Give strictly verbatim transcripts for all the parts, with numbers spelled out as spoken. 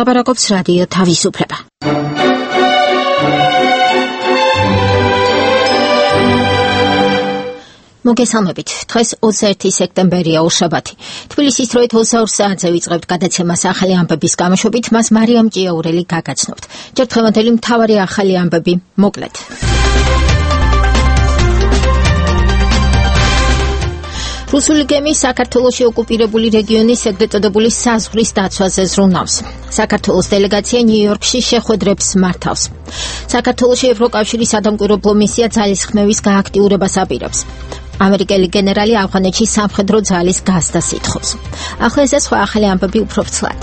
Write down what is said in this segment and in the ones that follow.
ლაპარაკობს რადიო თავისუფლება. მოგესალმებით. დღეს ოცდაერთი სექტემბერია უშაბათი. თბილისის დროით ოცდაორ საათზე ვიწყებთ გადაცემას ახალი ამბების გამოშვებით, მას მარიამ ჭიაურელი გაგაცნობთ. ჯერ დღევანდელი მთავარი ახალი ამბები მოკლედ. რუსული გემი საქართველოში ოკუპირებული რეგიონის ეგრეთ წოდებული საზღვრის დაცვაზე ზრუნავს. საქართველოს დელეგაცია ნიუ-იორკში შეხვედრებს მართავს. საქართველოში ევროკავშირის სადამკვირვებლო მისია ძალისხმევის გააქტიურებას აპირებს. ამერიკელი გენერალი ავღანეთში სამხედრო ძალის გასდას ითხოვს. ახლა ეს სხვა ახალი ამბები უფრო ფრთლად.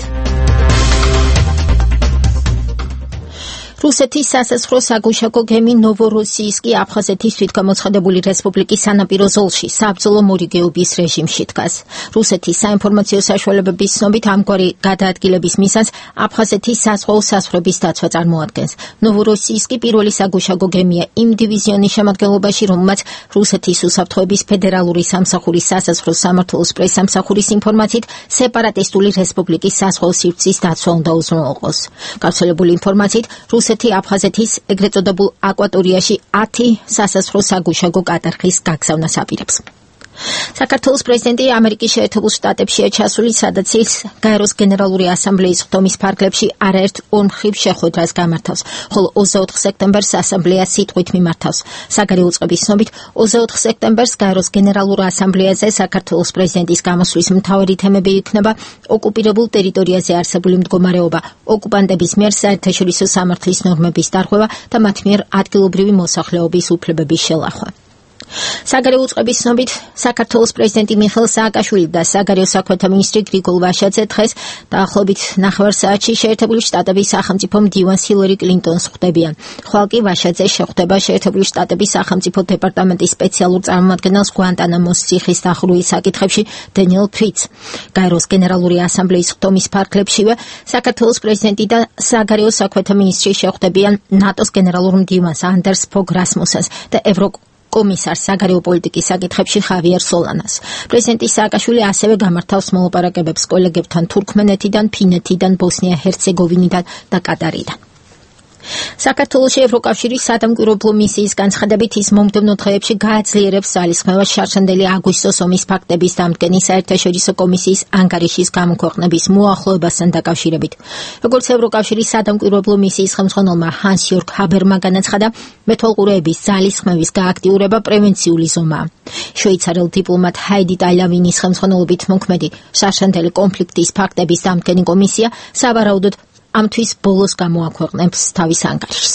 რუსეთის სასაზღვრო საგუშაგო გემი ნოვოროსიისკი აფხაზეთის თვითგამოცხადებული რესპუბლიკის სანაპირო ზოლში საბრძოლო მორიგეობის რეჟიმში დგას. რუსეთის საინფორმაციო საშუალებების ცნობით ამგვარი გადაადგილების მიზანს აფხაზეთის საზღვაო საზღვრების დაცვა წარმოადგენს. ნოვოროსიისკი პირველი საგუშაგო გემია იმ დივიზიონის შემადგენლობაში, რომელმაც რუსეთის უსაფრთხოების ფედერალური სამსახურის სასაზღვრო სამმართველოს პრესსამსახურის ინფორმაციით სეპარატისტული რესპუბლიკის საზღვაო სივრცის დაცვა უნდა უზრუნველყოს. გავრცელებული ინფორმაციით რუსეთი აფხაზეთის ეგრეთ წოდებულ აკვატორიაში ათი სასაზღვრო საგუშაგო კატარხის გაგზავნას აპირებს. საქართველოს პრეზიდენტი ამერიკის შეერთებულ შტატებშია ჩასული, სადაც ის გაეროს გენერალური ასამბლეის ხდომის ფარგლებში არაერთ ორმხრივ შეხვედრას გამართავს, ხოლო ოცდაოთხ სექტემბერს ასამბლეა სიტყვით მიმართავს. საგარეო წყების ცნობით, ოცდაოთხ სექტემბერს გაეროს გენერალურ ასამბლეაზე საქართველოს პრეზიდენტის გამოსვლის მთავარი თემები იქნება ოკუპირებულ ტერიტორიაზე არსებული მდგომარეობა, ოკუპანტების მიერ საერთაშორისო სამართლის ნორმების დარღვევა და მათ მიერ ადგილობრივი მოსახლეობის უფლებების შელახვა. საგარეო წყების ცნობით, საქართველოს პრეზიდენტი მიხეილ სააკაშვილი და საგარეო საქმეთა მინისტრი გრიგოლ ვაშაძე დღეს დაახლოებით ნახევარ საათში შეერთებული შტატების სახელმწიფო მდივანს ჰილარი კლინტონს ხვდებიან. ხვალ კი ვაშაძე შეხვდება შეერთებული შტატების სახელმწიფო დეპარტამენტის სპეციალურ წარმომადგენელს გვანტანამოს ციხის დახურვის საკითხებში დენიელ ფრიცს. გაეროს გენერალური ასამბლეის ხდომის ფარგლებშივე საქართველოს პრეზიდენტი და საგარეო საქმეთა მინისტრი შეხვდებიან ნატოს გენერალურ მდივანს ანდერს ფოგ რასმუსენს და ევროკ კომისარს საგარეო პოლიტიკის საკითხებში ხავიერ სოლანას. პრეზიდენტი სააკაშვილი ასევე გამართავს მოლაპარაკებებს კოლეგებთან თურქმენეთიდან, ფინეთიდან, ბოსნია-ჰერცეგოვინიდან და კატარიდან. საქართველოში ევროკავშირის სადამკვირვებლო მისიის განცხადებით ის მომდევნო დღეებში გააძლიერებს ძალისხმევას შარშანდელი აგვისტოს ომის ფაქტების დამდგენის საერთაშორისო კომისიის ანგარიშის გამოქვეყნების მოახლოებასთან დაკავშირებით. როგორც ევროკავშირის სადამკვირვებლო მისიის ხელმძღვანელმა ჰანს იორგ ჰაბერმა განაცხადა, მეთვალყურეების ძალისხმევის გააქტიურება პრევენციული ზომაა. შვეიცარიელ დიპლომატ ჰაიდი ტალავინის ხელმძღვანელობით მოქმედი შარშანდელი კონფლიქტის ფაქტების დამდგენი კომისია სავარაუდოდ ამთვის ბოლოს გამოაქვეყნებს თავის ანგარიშს.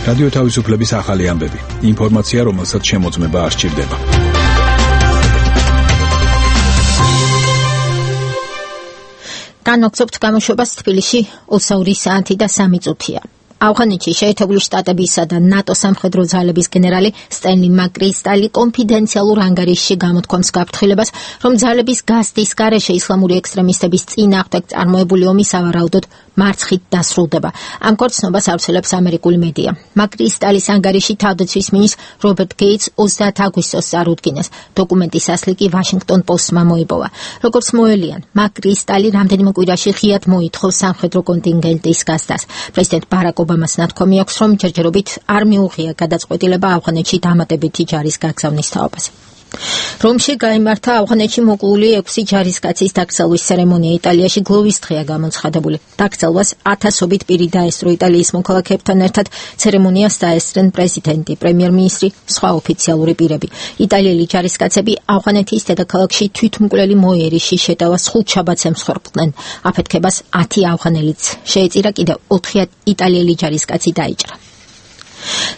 რადიო თავისუფლების ახალი ამბები. ინფორმაცია, რომელსაც შემოწმება არ სჭირდება. განვაგრძობთ გამოშვებას თბილისში ოცდაორი საათი და სამი წუთია. ავღანეთში შეერთებული შტატებისა და ნატო სამხედრო ძალების გენერალი სტენლი მაკრისტალი კონფიდენციალურ ანგარიშში გამოთქვამს გაფრთხილებას, რომ ძალების გასდის გარეშე ისლამური ექსტრემისტების წინააღმდეგ წარმოებული ომი სავარაუდოდ მარცხით დასრულდება. ამ ქორწინებას ავრცელებს ამერიკული მედია. მაკრისტალის ანგარიში თავდაცვის მინისტრ რობერტ გეიტს ოცდაათ აგვისტოს წარუდგინეს. დოკუმენტის ასლი კი ვაშინგტონ პოსტმა მოიპოვა. როგორც მოელიან, მაკრისტალი რამდენიმე კვირაში ღიად მოითხოვს სამხედრო კონტინგენტის გასდას. პრეზიდენტ ბარაკ ობამას ნათქვამი აქვს, რომ ჯერჯერობით არ მიუღია გადაწყვეტილება ავღანეთში დამატებითი ჯარის გაგზავნის თაობაზე. რომში გაიმართა ავღანეთში მოკლული ექვსი ჯარისკაცის დაკრძალვის ცერემონია. იტალიაში გლოვის დღეა გამოცხადებული. დაკრძალვას ათასობით პირი დაესწრო. იტალიის მოქალაქეებთან ერთად ცერემონიას დაესწრნენ პრეზიდენტი, პრემიერ-მინისტრი, სხვა ოფიციალური პირები. იტალიელი ჯარისკაცები ავღანეთის დედაქალაქში თვითმკვლელი მოიერიში შეტევას ხუთშაბათს ემსხვერპლდნენ. აფეთქებას ათი ავღანელიც შეეწირა, კიდევ ოთხი იტალიელი ჯარისკაცი დაიჭრა.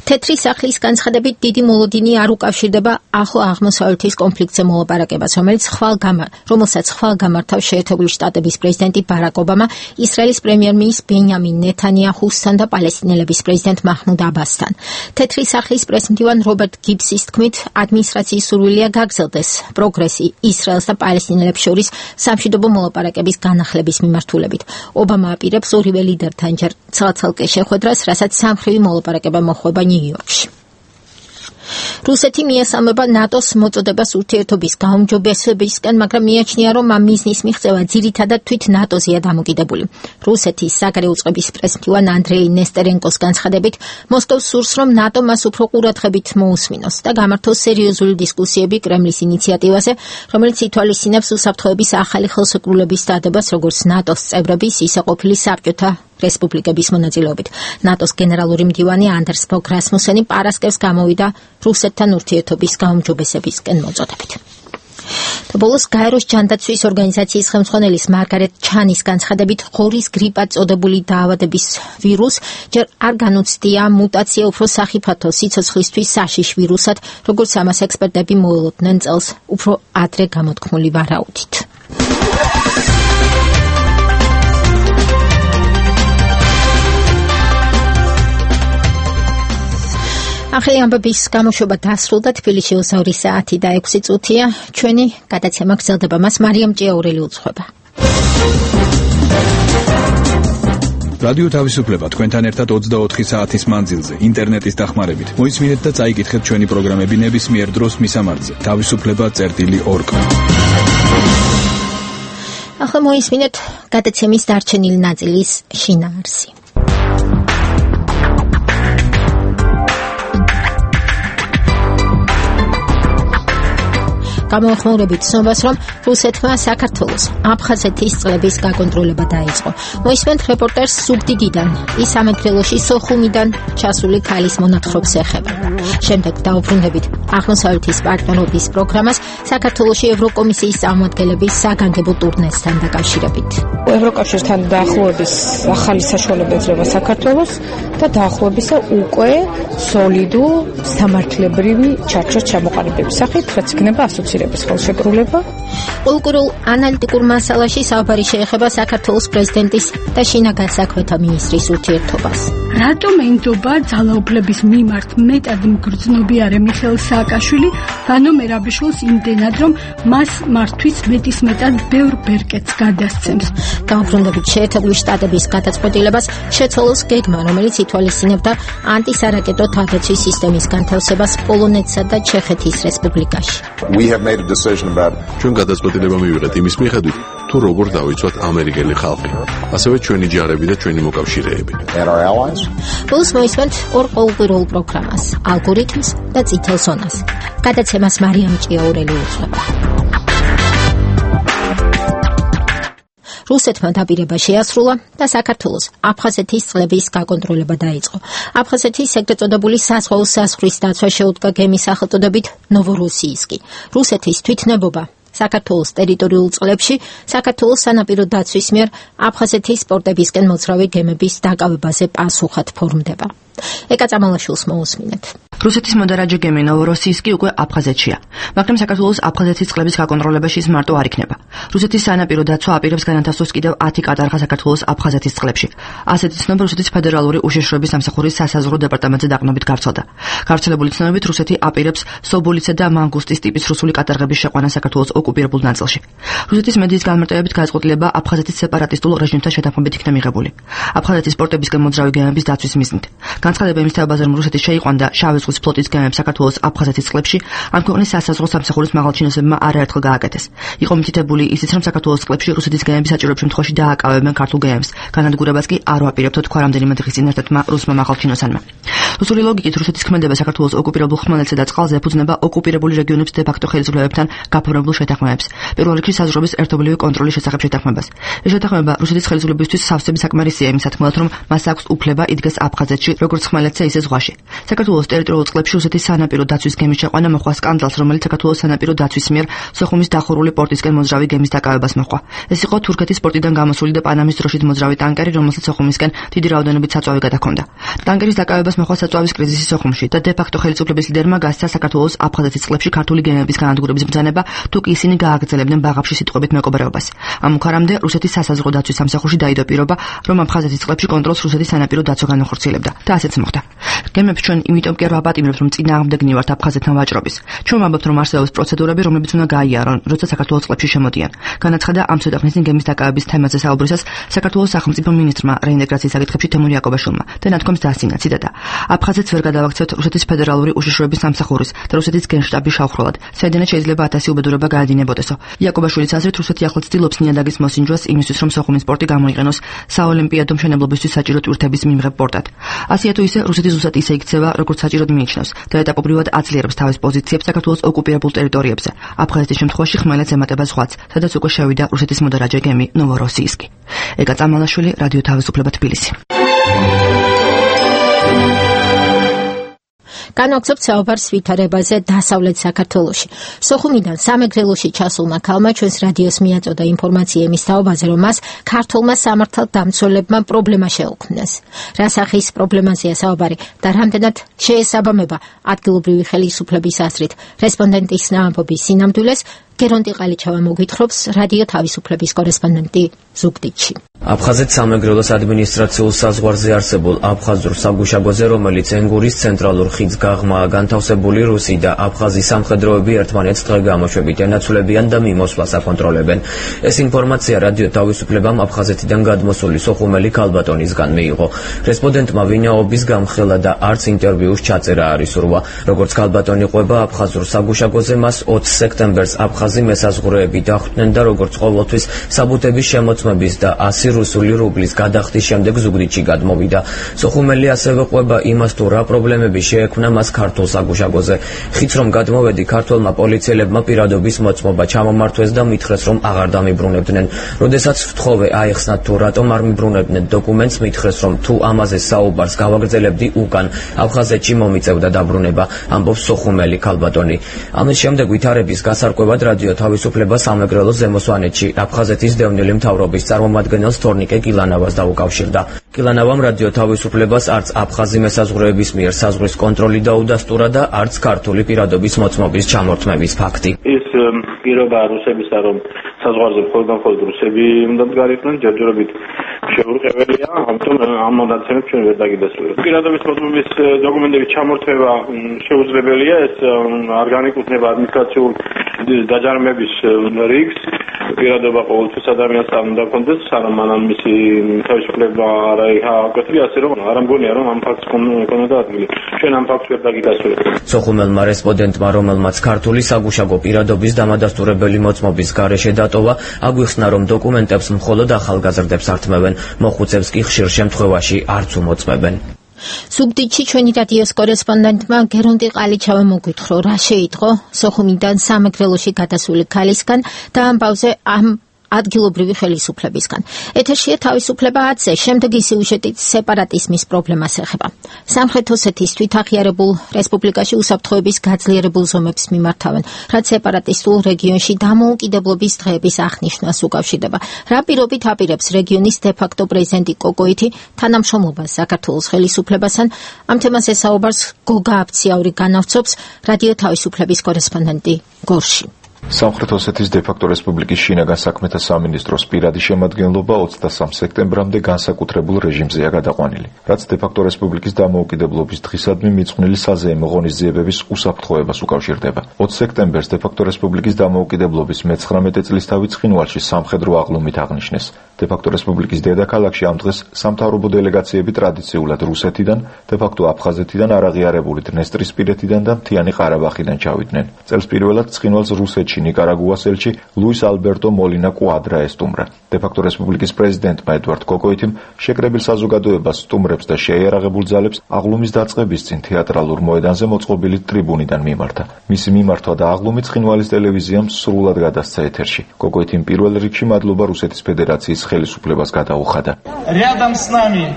თეთრი სახლის განცხადებით დიდი მოლოდინი არ უკავშირდება ახლო აღმოსავლეთის კონფლიქტზე მოლაპარაკებას, რომელიც ხვალ გამა, რომელსაც ხვალ გამართავს შეერთებული შტატების პრეზიდენტი ბარაკ ობამა, ისრაელის პრემიერ-მინისტრ ბენიამინ ნეთანიაჰუსთან და პალესტინელების პრეზიდენტ მაჰმუდ აბასთან. თეთრი სახლის პრესმდივან რობერტ გიბსის თქმით, ადმინისტრაციის სურვილია გაგრძელდეს პროგრესი ისრაელს და პალესტინელებს შორის სამშვიდობო მოლაპარაკების განახლების მიმართულებით. ობამა აპირებს ორივე ლიდერთან ჯერ ცალ-ცალკე შეხვედრას, რასაც სამხრივი მოლაპარაკება მოხვება ნიუ-იორკში. რუსეთი მიესალმება ნატოს მოწოდებას ურთიერთობის გაუმჯობესებისკენ, მაგრამ მიაჩნია, რომ ამ მიზნის მიღწევა ძირითადად თვით ნატოზეა დამოკიდებული. რუსეთის საგარეო წყობის პრესმდივან ანდრეი ნესტერენკოს განცხადებით, მოსკოვს სურს, რომ ნატო მას უფრო ყურადღებით მოусმინოს და გამართოს სერიოზული დისკუსიები კრემლის ინიციატივაზე, რომელიც ითვალისწინებს უსაფრთხოების ახალი ხელშეკრულების დადებას როგორც ნატოს წევრების, ისე ყოფილი საბჭოთა რესპუბლიკების მონაწილეობით. ნატოს გენერალური მდივანი ანდერს ფოგ რასმუსენი პარასკევს გამოვიდა რუსეთთან ურთიერთობის გაუმჯობესებისკენ მოწოდებით. და ბოლოს გაეროს ჯანდაცვის ორგანიზაციის ხელმძღვანელის მარგარეტ ჩანის განცხადებით, ღორის გრიპად წოდებული დაავადების ვირუს ჯერ არ განუცდია მუტაცია უფრო სახიფათო სიცოცხლისთვის საშიშ ვირუსად, როგორც ამას ექსპერტები მოელოდნენ წელს უფრო ადრე გამოთქმული ვარაუდით. ახალი ამბების გამოშვება დასრულდა. თბილისში უსავრი საათი და ექვსი წუთია. ჩვენი გადაცემა გრძელდება, მას მარიამ ჭიაურელი უძღვება. რადიო თავისუფლება თქვენთან ერთად ოცდაოთხი საათის მანძილზე ინტერნეტის დახმარებით. მოისმინეთ და წაიკითხეთ ჩვენი პროგრამები ნებისმიერ დროს მისამართზე თავისუფლება წერტილი ორ კა. ახლა მოისმინეთ გადაცემის დარჩენილი ნაწილის შინაარსი. გამოხმაურებით ცნობას, რომ რუსეთმა საქართველოს აფხაზეთის წყლების გაკონტროლება დაიწყო. მოისმენთ რეპორტერს სუგდიდიდან, ის ამერკრელოში სოხუმიდან ჩასული ქალის მონათხრობს ეხება. შემდეგ დაუბრუნდებით აღმოსავლეთის პარტნიორობის პროგრამას საქართველოში ევროკომისიის წარმომადგენლების საგანგებო ტურნესთან დაკავშირებით. ევროკავშირთან დაახლოების ახალი საშუალება ეძლევა საქართველოს და დაახლოებისა უკვე სოლიდურ სამართლებრივი ჩარჩოს ჩამოყალიბების სახით, რაც იქნება ასოცირების ხელშეკრულება. კულტურულ ანალიტიკურ მასალაში საუბარი შეეხება საქართველოს პრეზიდენტის და შინაგან საქმეთა მინისტრის ურთიერთობას. რატომ ენდობა ძალაუფლების მიმართ მეტად მგრძნობიარე მიხეილ სააკაშვილი ვანო მერაბიშვილს იმდენად, რომ მას მართვის მეტისმეტად ბევრ ბერკეტს გადასცემს. დაუბრუნდებით შეერთებული შტატების გადაწყვეტილებას შეცვალოს გეგმა, რომელიც ითვალისწინებდა ანტისარაკეტო თავდაცვის სისტემის განთავსებას პოლონეთსა და ჩეხეთის რესპუბლიკაში. ჩვენ გადაწყვეტილება მივიღეთ იმის მიხედვით, თუ როგორ დავიცვათ ამერიკელი ხალხი, ასევე ჩვენი ჯარები და ჩვენი მოკავშირეები. ბოლოს მოისმენთ ორ ყოველკვირეულ პროგრამას, ალგორითმს და წითელ ზონას. გადაცემას მარიამ ჭიაურელი უძღვება. რუსეთმა დაპირება შეასრულა და საქართველოს აფხაზეთის წყლების გაკონტროლება დაიწყო. აფხაზეთის ეგრეთ წოდებული საზღვაო საზღვრის დაცვა შეუდგა გემის სახელწოდებით ნოვოროსიისკი. რუსეთის თვითნებობა საქართველოს ტერიტორიულ წყლებში საქართველოს სანაპირო დაცვის მიერ აფხაზეთის პორტებისკენ მოძრავი გემების დაკავებაზე პასუხად ფორმდება. ეკა წამალაშვილს მოусმინეთ. რუსეთის მოდარაჯე გემი ნოვოროსიისკი უკვე აფხაზეთშია, მაგრამ საქართველოს აფხაზეთის წყლების გაკონტროლებაში ის მარტო არ იქნება. რუსეთის სანაპირო დაცვა აპირებს განათავსოს კიდევ ათი კატარღა საქართველოს აფხაზეთის წყლებში. ასეთი ცნობა რუსეთის ფედერალური უშიშროების სამსახურის სასაზღვრო დეპარტამენტზე დაყრდნობით გავრცელდა. გავრცელებული ცნობებით რუსეთი აპირებს სობოლიცე და მანგუსტის ტიპის რუსული კატარღების შეყვანა საქართველოს ოკუპირებულ ნაწილში. რუსეთის მედიის განმარტებებით გადაწყვეტილება აფხაზეთის სეპარატისტულ რეჟიმთან შეთანხმებით იქნა მიღებული. აფხაზეთის პორტებისკენ მოძრავი გემების დაცვის მიზნით. განცხადება იმის თეობაზე, რომ რუსეთი შეიყვანდა შავი ზღვის ფლოტის გემებს საქართველოს აფხაზეთის წყლებში, ამ ქვეყნის სასაზღვრო სამსახურის მაღალჩინოსებმა არაერთხელ გააკეთეს. იყო მითითებული ისიც, რომ საქართველოს წყლებში რუსეთის გემები საჭირო შემთხვევაში დააკავებენ ქართულ გემებს. განადგურებას კი არ ვაპირებთ, თქვა რამდენიმე დღის წინ ერთ-ერთმა რუსმა მაღალჩინოსანმა. რუსული ლოგიკით რუსეთის ქმედება საქართველოს ოკუპირებულ ხმელეთზე და წყალზე ეფუძნება ოკუპირებული რეგიონების დე-ფაქტო ხელისუფლებებთან გაფორმებულ შეთანხმებებს. პირველ რიგში საზღვრების ერთობლივი კონტროლის შესახებ შეთანხმებას. ეს შეთანხმება რუსეთის ხელისუფლებისთვის სავსები საკმარისია იმის თქმელად, რომ მას აქვს უფლება იდგეს აფხაზეთში, როგორც ხმელეთზე, ისე ზღვაში. საქართველოს ტერიტორიულ წყლებში რუსეთის სანაპირო დაცვის გემის შეყვანა მოხდა სკანდალს, რომელიც საქართველოს სანაპირო დაცვის მიერ სოხუმის დახურული პორტისკენ მოძრავი გემის დაკავებას მოხდა. ეს იყო თურქეთის პორტიდან გამოსული და პანამის დროშით მოძრავი ტანკერი, რომელსაც სოხუმისკენ დიდი რაოდენობით საწვავი გადაჰქონდა. ტანკერის დაკავებას მოხდა საწვავის კრიზისი სოხუმში და დე-ფაქტო ხელისუფლების ლიდერმა გასცა საქართველოს აფხაზეთის წყლებში ქართული გემების განადგურების ბრძანება, თუ კი ისინი გააგრძელებდნენ ბაღაფში სიტყვებით მეკობრეობას. ამ უქარამდე რუსეთის სასაზღვრო დაცვის სამსახურში დაიდო პირობა, რომ აფხაზეთის წყლებში კონტროლს რუსეთის სანაპირო დაცვა განახორციელებდა და ასეც მოხდა. გემებს ჩვენ იმიტომ კი არ ვაპატიმრებთ, რომ წინააღმდეგნი ვართ აფხაზეთთან ვაჭრობის. ჩვენ ვამბობთ, რომ არსებობს პროცედურები, რომლებიც უნდა გაიარონ, როცა საქართველოს წყლებში შემოდიან. განაცხადა ამ ცოტა ხნის წინ გემის დაკავების თემაზე საუბრისას საქართველოს სახელმწიფო მინისტრმა რეინტეგრაციის საკითხებში თემური იაკობაშვილმა და ნათქვამს დაასწინა ციტატა. აფხაზეთს ვერ გადავაქცევთ რუსეთის ფედერალური უშიშროების სამსახურის და რუსეთის გენშტაბის შავხროლად. საიდანაც შეიძლება ათასი უბედურება გაადინებოდესო. იაკობაშვილის აზრით, რუსეთი ახლაც ცდილობს ნიადაგის მოსინჯვას იმისთვის, რომ სოხუმის პორტი გამოიყენოს საოლიმპიადო მშენებლობისთვის საჭირო ტვირთების მიმღებ პორტად. ასეა თუ ისე რუსეთის ზუსტად ისე იქცევა, როგორც საჭიროდ მიიჩნევს და ეტაპობრივად აძლიერებს თავის პოზიციებს საქართველოს ოკუპირებულ ტერიტორიებზე. აფხაზეთის შემთხვევაში ხმელეთს ემატება ზღვაც, სადაც უკვე შევიდა რუსეთის მოდარაჯე გემი ნოვოროსიისკი. ეკა წამალაშვილი, რადიო თავისუფლება თბილისი. განვაგრძობთ საუბარს ვითარებაზე დასავლეთ საქართველოში. სოხუმიდან სამეგრელოში ჩასულმა ქალმა ჩვენს რადიოს მიაწოდა ინფორმაცია იმის თაობაზე, რომ მას ქართულმა სამართალდამცველებმა პრობლემა შეუქმნეს. რა სახის პრობლემაზეა საუბარი და რამდენად შეესაბამება ადგილობრივი ხელისუფლების აზრით რესპონდენტის ნაამბობის სინამდვილეს, გერონტი ყალიჩავა მოგვითხრობს რადიო თავისუფლების კორესპონდენტი ზუგდიდში. აფხაზეთის სამეგრელოს ადმინისტრაციულ საზღვარზე არსებულ აფხაზურ საგუშაგოზე, რომელიც ენგურის ცენტრალურ ხიდს გაღმაა განთავსებული, რუსი და აფხაზი სამხედროები ერთმანეთს დღე-გამოშვებით ენაცვლებიან და მიმოსვლას აკონტროლებენ. ეს ინფორმაცია რადიო თავისუფლებამ აფხაზეთიდან გადმოსული სოხუმელი ქალბატონისგან მიიღო. რესპონდენტმა ვინაობის გამხელა და არც ინტერვიუს ჩაწერა არ ისურვა. როგორც ქალბატონი ყვება აფხაზურ საგუშაგოზე, მას ოცი სექტემბერს აფხაზი მესაზღვრეები დახვდნენ და როგორც ყოველთვის საბუთების შემოწმების და ასი რუსული რუბლის გადახდის შემდეგ ზუგდიდში გადმოვიდა. სოხუმელი ასევე ყვება იმას, თუ რა პრობლემები შეექმნა მას ქართულ საგუშაგოზე. ხიდს რომ გადმოვედი, ქართველმა პოლიციელებმა პირადობის მოწმობა ჩამომართვეს და მითხრეს, რომ აღარ დამიბრუნებდნენ. როდესაც ვთხოვე აიხსნათ, თუ რატომ არ მიბრუნებდნენ დოკუმენტს, მითხრეს, რომ თუ ამაზე საუბარს გავაგრძელებდი, უკან აფხაზეთში მომიწევდა დაბრუნება, ამბობს სოხუმელი ქალბატონი. ამის შემდეგ ვითარების გასარკვევად რადიო თავისუფლება სამეგრელოს ზემო სვანეთში აფხაზეთის დევნილი მთავრობის წარმომადგენელს თორნიკე კილანავას დაუკავშირდა. კილანავამ რადიო თავისუფლებას არც აფხაზი მესაზღვრეების მიერ საზღვრის კონტროლი დაუდასტურა და არც ქართული პირადობის მოწმობის ჩამორთმების ფაქტი. ის პირობა რუსებისა, რომ საზღვარზე მხოლოდ და მხოლოდ რუსები უნდა მდგარიყვნენ, ჯერჯერობით შეურყეველია, ამიტომ ამ მონაცემებს ჩვენ ვერ დაგიდასტურებთ. პირადობის მოწმობის დოკუმენტების ჩამორთმევა შეუძლებელია, ეს არ განეკუთვნება ადმინისტრაციულ დაჯარიმების რიგს. პირადობა ყოველთვის ადამიანს არ უნდა კონდეს, სანამ მანამ მისი თავისუფლება არ აიგოთვია, ასე რომ არ ამგონია, რომ ამ ფაქტს კონდა ადგილი. ჩვენ ამ ფაქტს ვერ დაგიდასტურებთ. სოხუმელმა რესპონდენტმა, რომელმაც ქართული საგუშაგო პირადობის დამადასტურებელი მოწმობის გარეშე დატოვა, აგვიხსნა, რომ დოკუმენტებს მხოლოდ ახალგაზრდებს ართმევენ, მოხუცებს კი ხშირ შემთხვევაში არც უმოწმებენ. ზუგდიდში ჩვენი რადიოს კორესპონდენტმა გერონტი ყალიჩავა მოგვითხრა, რა შეიტყო სოხუმიდან სამეგრელოში გადასული ქალისგან და ამბავზე ამ ადგილობრივი ხელისუფლებისგან. ეთერშია თავისუფლება ათზე, შემდეგი სიუჟეტით სეპარატიზმის პრობლემას ეხება. სამხრეთ ოსეთის თვითაღიარებულ რესპუბლიკაში უსაფრთხოების გაძლიერებულ ზომებს მიმართავენ, რაც სეპარატისტულ რეგიონში დამოუკიდებლობის დღეების აღნიშვნას უკავშირდება. რა პირობით აპირებს რეგიონის დე-ფაქტო პრეზიდენტი კოკოითი თანამშრომლობას საქართველოს ხელისუფლებასთან? ამ თემაზე საუბარს გოგა აფციაური განავრცობს რადიო თავისუფლების კორესპონდენტი გორში. სამხრეთ ოსეთის დე-ფაქტო რესპუბლიკის შინაგან საქმეთა სამინისტროს პირადი შემადგენლობა ოცდასამ სექტემბრამდე განსაკუთრებულ რეჟიმზეა გადაყვანილი, რაც დე-ფაქტო რესპუბლიკის დამოუკიდებლობის დღისადმი მიძღვნილი საზეიმო ღონისძიებების უსაფრთხოებას უკავშირდება. ოცი სექტემბერს დე-ფაქტო რესპუბლიკის დამოუკიდებლობის მეცხრამეტე წლისთავი ცხინვალში სამხედრო აღლუმით აღნიშნეს. დე-ფაქტო რესპუბლიკის დედაქალაქში ამ დღეს სამთავრობო დელეგაციები ტრადიციულად რუსეთიდან, დე-ფაქტო აფხაზეთიდან, არაღიარებული დნესტრისპირეთიდან და მთიანი ყარაბახიდან ჩავიდნენ. წელს პირველად ცხინვალს რუსეთში ნიკარაგუას ელჩი ლუის ალბერტო მოლინა კვადრა ესტუმრა. დე-ფაქტო რესპუბლიკის პრეზიდენტმა ედვარდ კოკოითიმ შეკრებილ საზოგადოებას სტუმრებს და შეიარაღებულ ძალებს აღლუმის დაწყების წინ თეატრალურ მოედანზე მოწყობილი ტრიბუნიდან მიმართა. მისი მიმართვა და აღლუმი ცხინვალის ტელევიზიამ სრულად გადასცა ეთერში. კოკოითიმ პირველ რიგში მადლობა რუსეთის ფედერაციის ხელისუფლებას გადაუხადა. Рядом с нами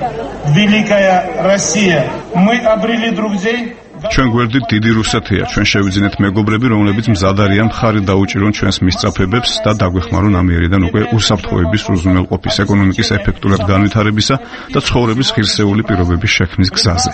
великая Россия. Мы обрели друзей ჩვენ გვერდით დიდი რუსეთია, ჩვენ შევიძინეთ მეგობრები, რომლებიც მზად არიან მხარი დაუჭირონ ჩვენს მისწრაფებებს და დაგვეხმარონ ამიერიდან უკვე უსაფრთხოების უზრუნველყოფის, ეკონომიკის ეფექტურად განვითარებისა და ცხოვრების ღირსეული პირობების შექმნის გზაზე.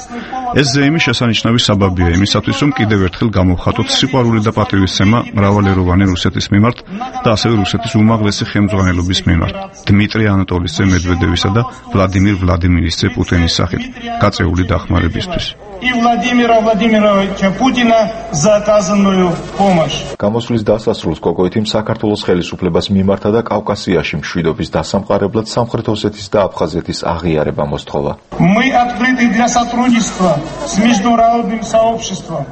ეს ზეიმი შესანიშნავი საბაბია იმისათვის, რომ კიდევ ერთხელ გამოვხატოთ სიყვარული და პატივისცემა მრავალეროვანი რუსეთის მიმართ და ასევე რუსეთის უმაღლესი ხელმძღვანელობის მიმართ, დმიტრი ანატოლიძე მედვედევისა და ვლადიმირ ვლადიმირისძე პუტინის სახით, გაწეული დახმარებისთვის. и Владимира Владимировича Путина за оказанную помощь. გამოსვლის დასასრულს კოკოითიმ საქართველოს ხელისუფლებას მიმართა და კავკასიაში მშვიდობის დასამყარებლად სამხრეთ ოსეთის და აფხაზეთის აღიარება მოსთხოვა. Мы открыты для сотрудничества с международным сообществом.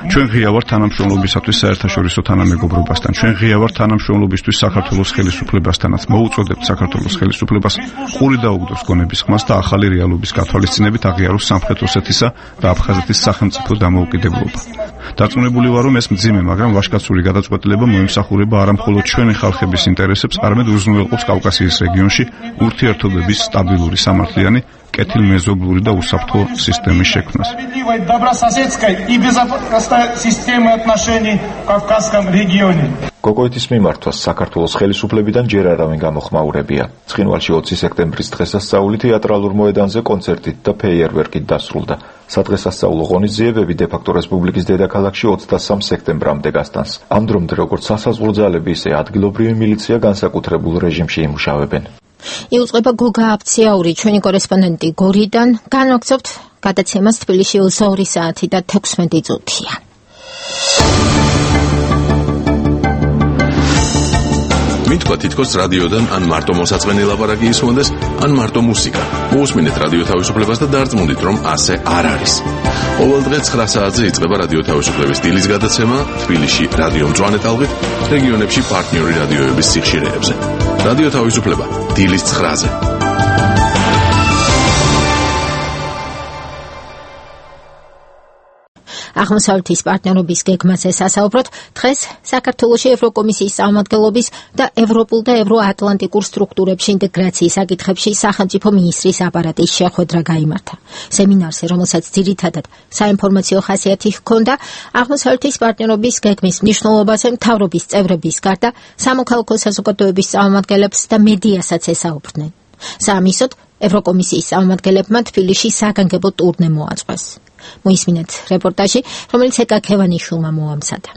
ჩვენ ღია ვართ თანამშრომლობისათვის საერთაშორისო თანამეგობრობასთან. ჩვენ ღია ვართ თანამშრომლობისთვის საქართველოს ხელისუფლებასთანაც. მოუწოდებთ საქართველოს ხელისუფლებას ყური დაუგდოს გონების ხმას და ახალი რეალობის გათვალისწინებით აღიაროს სამხრეთ ოსეთისა და აფხაზეთის სახელმწიფო დამოუკიდებლობა. დარწმუნებული ვარ, რომ ეს მძიმე, მაგრამ ვაჟკაცური გადაწყვეტილება მოემსახურება არა მხოლოდ ჩვენი ხალხების ინტერესებს, არამედ უზრუნველყოფს კავკასიის რეგიონში ურთიერთობების სტაბილური, სამართლიანი, კეთილმეზობლური და უსაფრთხო სისტემის შექმნას. კოკოითის მიმართვას საქართველოს ხელისუფლებიდან ჯერ არავინ გამოხმაურებია. ცხინვალში ოცი სექტემბრის დღესასწაული თეატრალურ მოედანზე კონცერტით და ფეიერვერკით დასრულდა. სადღესასწაულო ღონისძიებები დე-ფაქტო რესპუბლიკის დედაქალაქში ოცდასამ სექტემბრამდე გასტანს. ამ დრომდე როგორც სასაზღვრო ძალები, ისე ადგილობრივი მილიცია განსაკუთრებულ რეჟიმში იმუშავებენ. იუწყება გოგა აფციაური, ჩვენი კორესპონდენტი გორიდან. განვაგრძობთ გადაცემას თბილისში ორი საათი და თექვსმეტი წუთია. მითქვა თითქოს რადიოდან ან მარტო მოსაწყენი ლაპარაკი ისმოდეს, ან მარტო მუსიკა. მოусმინეთ რადიო თავისუფლებას და დარწმუნდით, რომ ასე არ არის. ყოველდღე ცხრა საათზე იწყება რადიო თავისუფლების დილის გადაცემა თბილისში რადიო მწვანე ტალღით, რეგიონებში პარტნიორი რადიოების სიხშირეებზე. რადიო თავისუფლება დილის ცხრაზე. აღმოსავლეთის პარტნიორობის გეგმაზე სასაუბროთ. დღეს საქართველოში ევროკომისიის წარმომადგენლობის და ევროპულ და ევროატლანტიკურ სტრუქტურებში ინტეგრაციის საკითხებში სახელმწიფო მინისტრის აპარატის შეხვედრა გაიმართა. სემინარზე, რომელსაც ძირითადად საინფორმაციო ხასიათი ჰქონდა, აღმოსავლეთის პარტნიორობის გეგმის მნიშვნელობაზე მთავრობის წევრების გარდა სამოქალაქო საზოგადოების წარმომადგენლებს და მედიასაც ესაუბრდნენ. საამისოდ, ევროკომისიის წარმომადგენლებმა თბილისში საგანგებო ტურნე მოაწყვეს. მოისმინეთ რეპორტაჟი, რომელიც ეკა ქევანიშვილმა მოამზადა.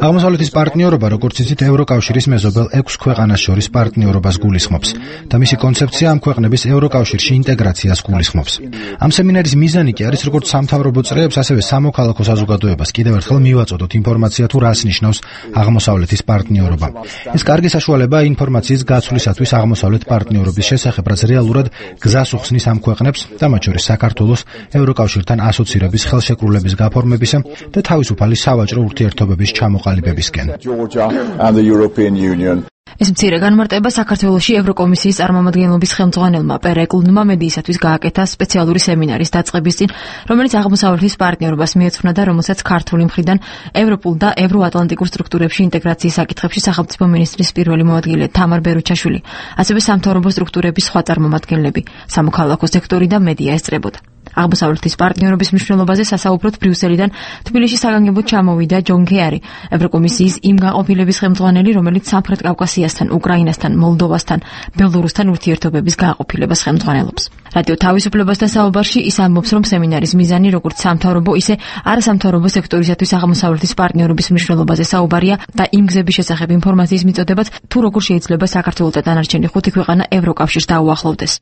აღმოსავლეთის პარტნიორობა, როგორც იცით, ევროკავშირის მეზობელ ექვს ქვეყანას შორის პარტნიორობას გულისხმობს და მისი კონცეფცია ამ ქვეყნების ევროკავშირში ინტეგრაციას გულისხმობს. ამ სემინარის მიზანი კი არის როგორც სამთავრობო წრეებს, ასევე სამოქალაქო საზოგადოებას კიდევ ერთხელ მივაწოდოთ ინფორმაცია თუ რას ნიშნავს აღმოსავლეთის პარტნიორობა. ეს კარგი საშუალებაა ინფორმაციის გაცვლისათვის აღმოსავლეთ პარტნიორობის შესახებ, რაც რეალურად გზას უხსნის ამ ქვეყნებს და მათ შორის საქართველოს ევროკავშირთან ასოცირების ხელშეკრულების გაფორმებისა და თავისუფალი სავაჭრო ურთიერთობების ჩამოყალიბებისკენ. ეს მცირე განმარტება საქართველოში ევროკომისიის წარმომადგენლობის ხელმძღვანელმა პერეკლუნმა მედიისათვის გააკეთა სპეციალური სემინარის დაწყების წინ, რომელიც აღმოსავლეთის პარტნიორობას მიეძღვნა და რომელსაც ქართული მხრიდან ევროპულ და ევროატლანტიკურ სტრუქტურებში ინტეგრაციის საკითხებში სახელმწიფო მინისტრის პირველი მოადგილე თამარ ბერუჩაშვილი, ასევე სამთავრობო სტრუქტურების სხვა წარმომადგენლები, სამოქალაქო სექტორი და მედია ესწრებოდა. აღმოსავლეთის პარტნიორობის მნიშვნელობაზე სასაუბროთ ბრიუსელიდან თბილისში საგანგებოდ ჩამოვიდა ჯონ კერი, ევროკომისიის იმ გაყოფილების ხელმძღვანელი, რომელიც სამხრეთ კავკასიასთან, უკრაინასთან, მოლდოვასთან, ბელორუსთან ურთიერთობების გაყოფილებას ხელმძღვანელობს. რადიო თავისუფლებასთან საუბარში ის ამბობს, რომ სემინარის მიზანი როგორც სამთავრობო, ისე არასამთავრობო სექტორისათვის აღმოსავლეთის პარტნიორობის მნიშვნელობაზე საუბარია და იმ გზების შესახებ ინფორმაციის მიწოდებაც, თუ როგორ შეიძლება საქართველოს და დანარჩენი ხუთი ქვეყანა ევროკავშირს დაუახლოვდეს.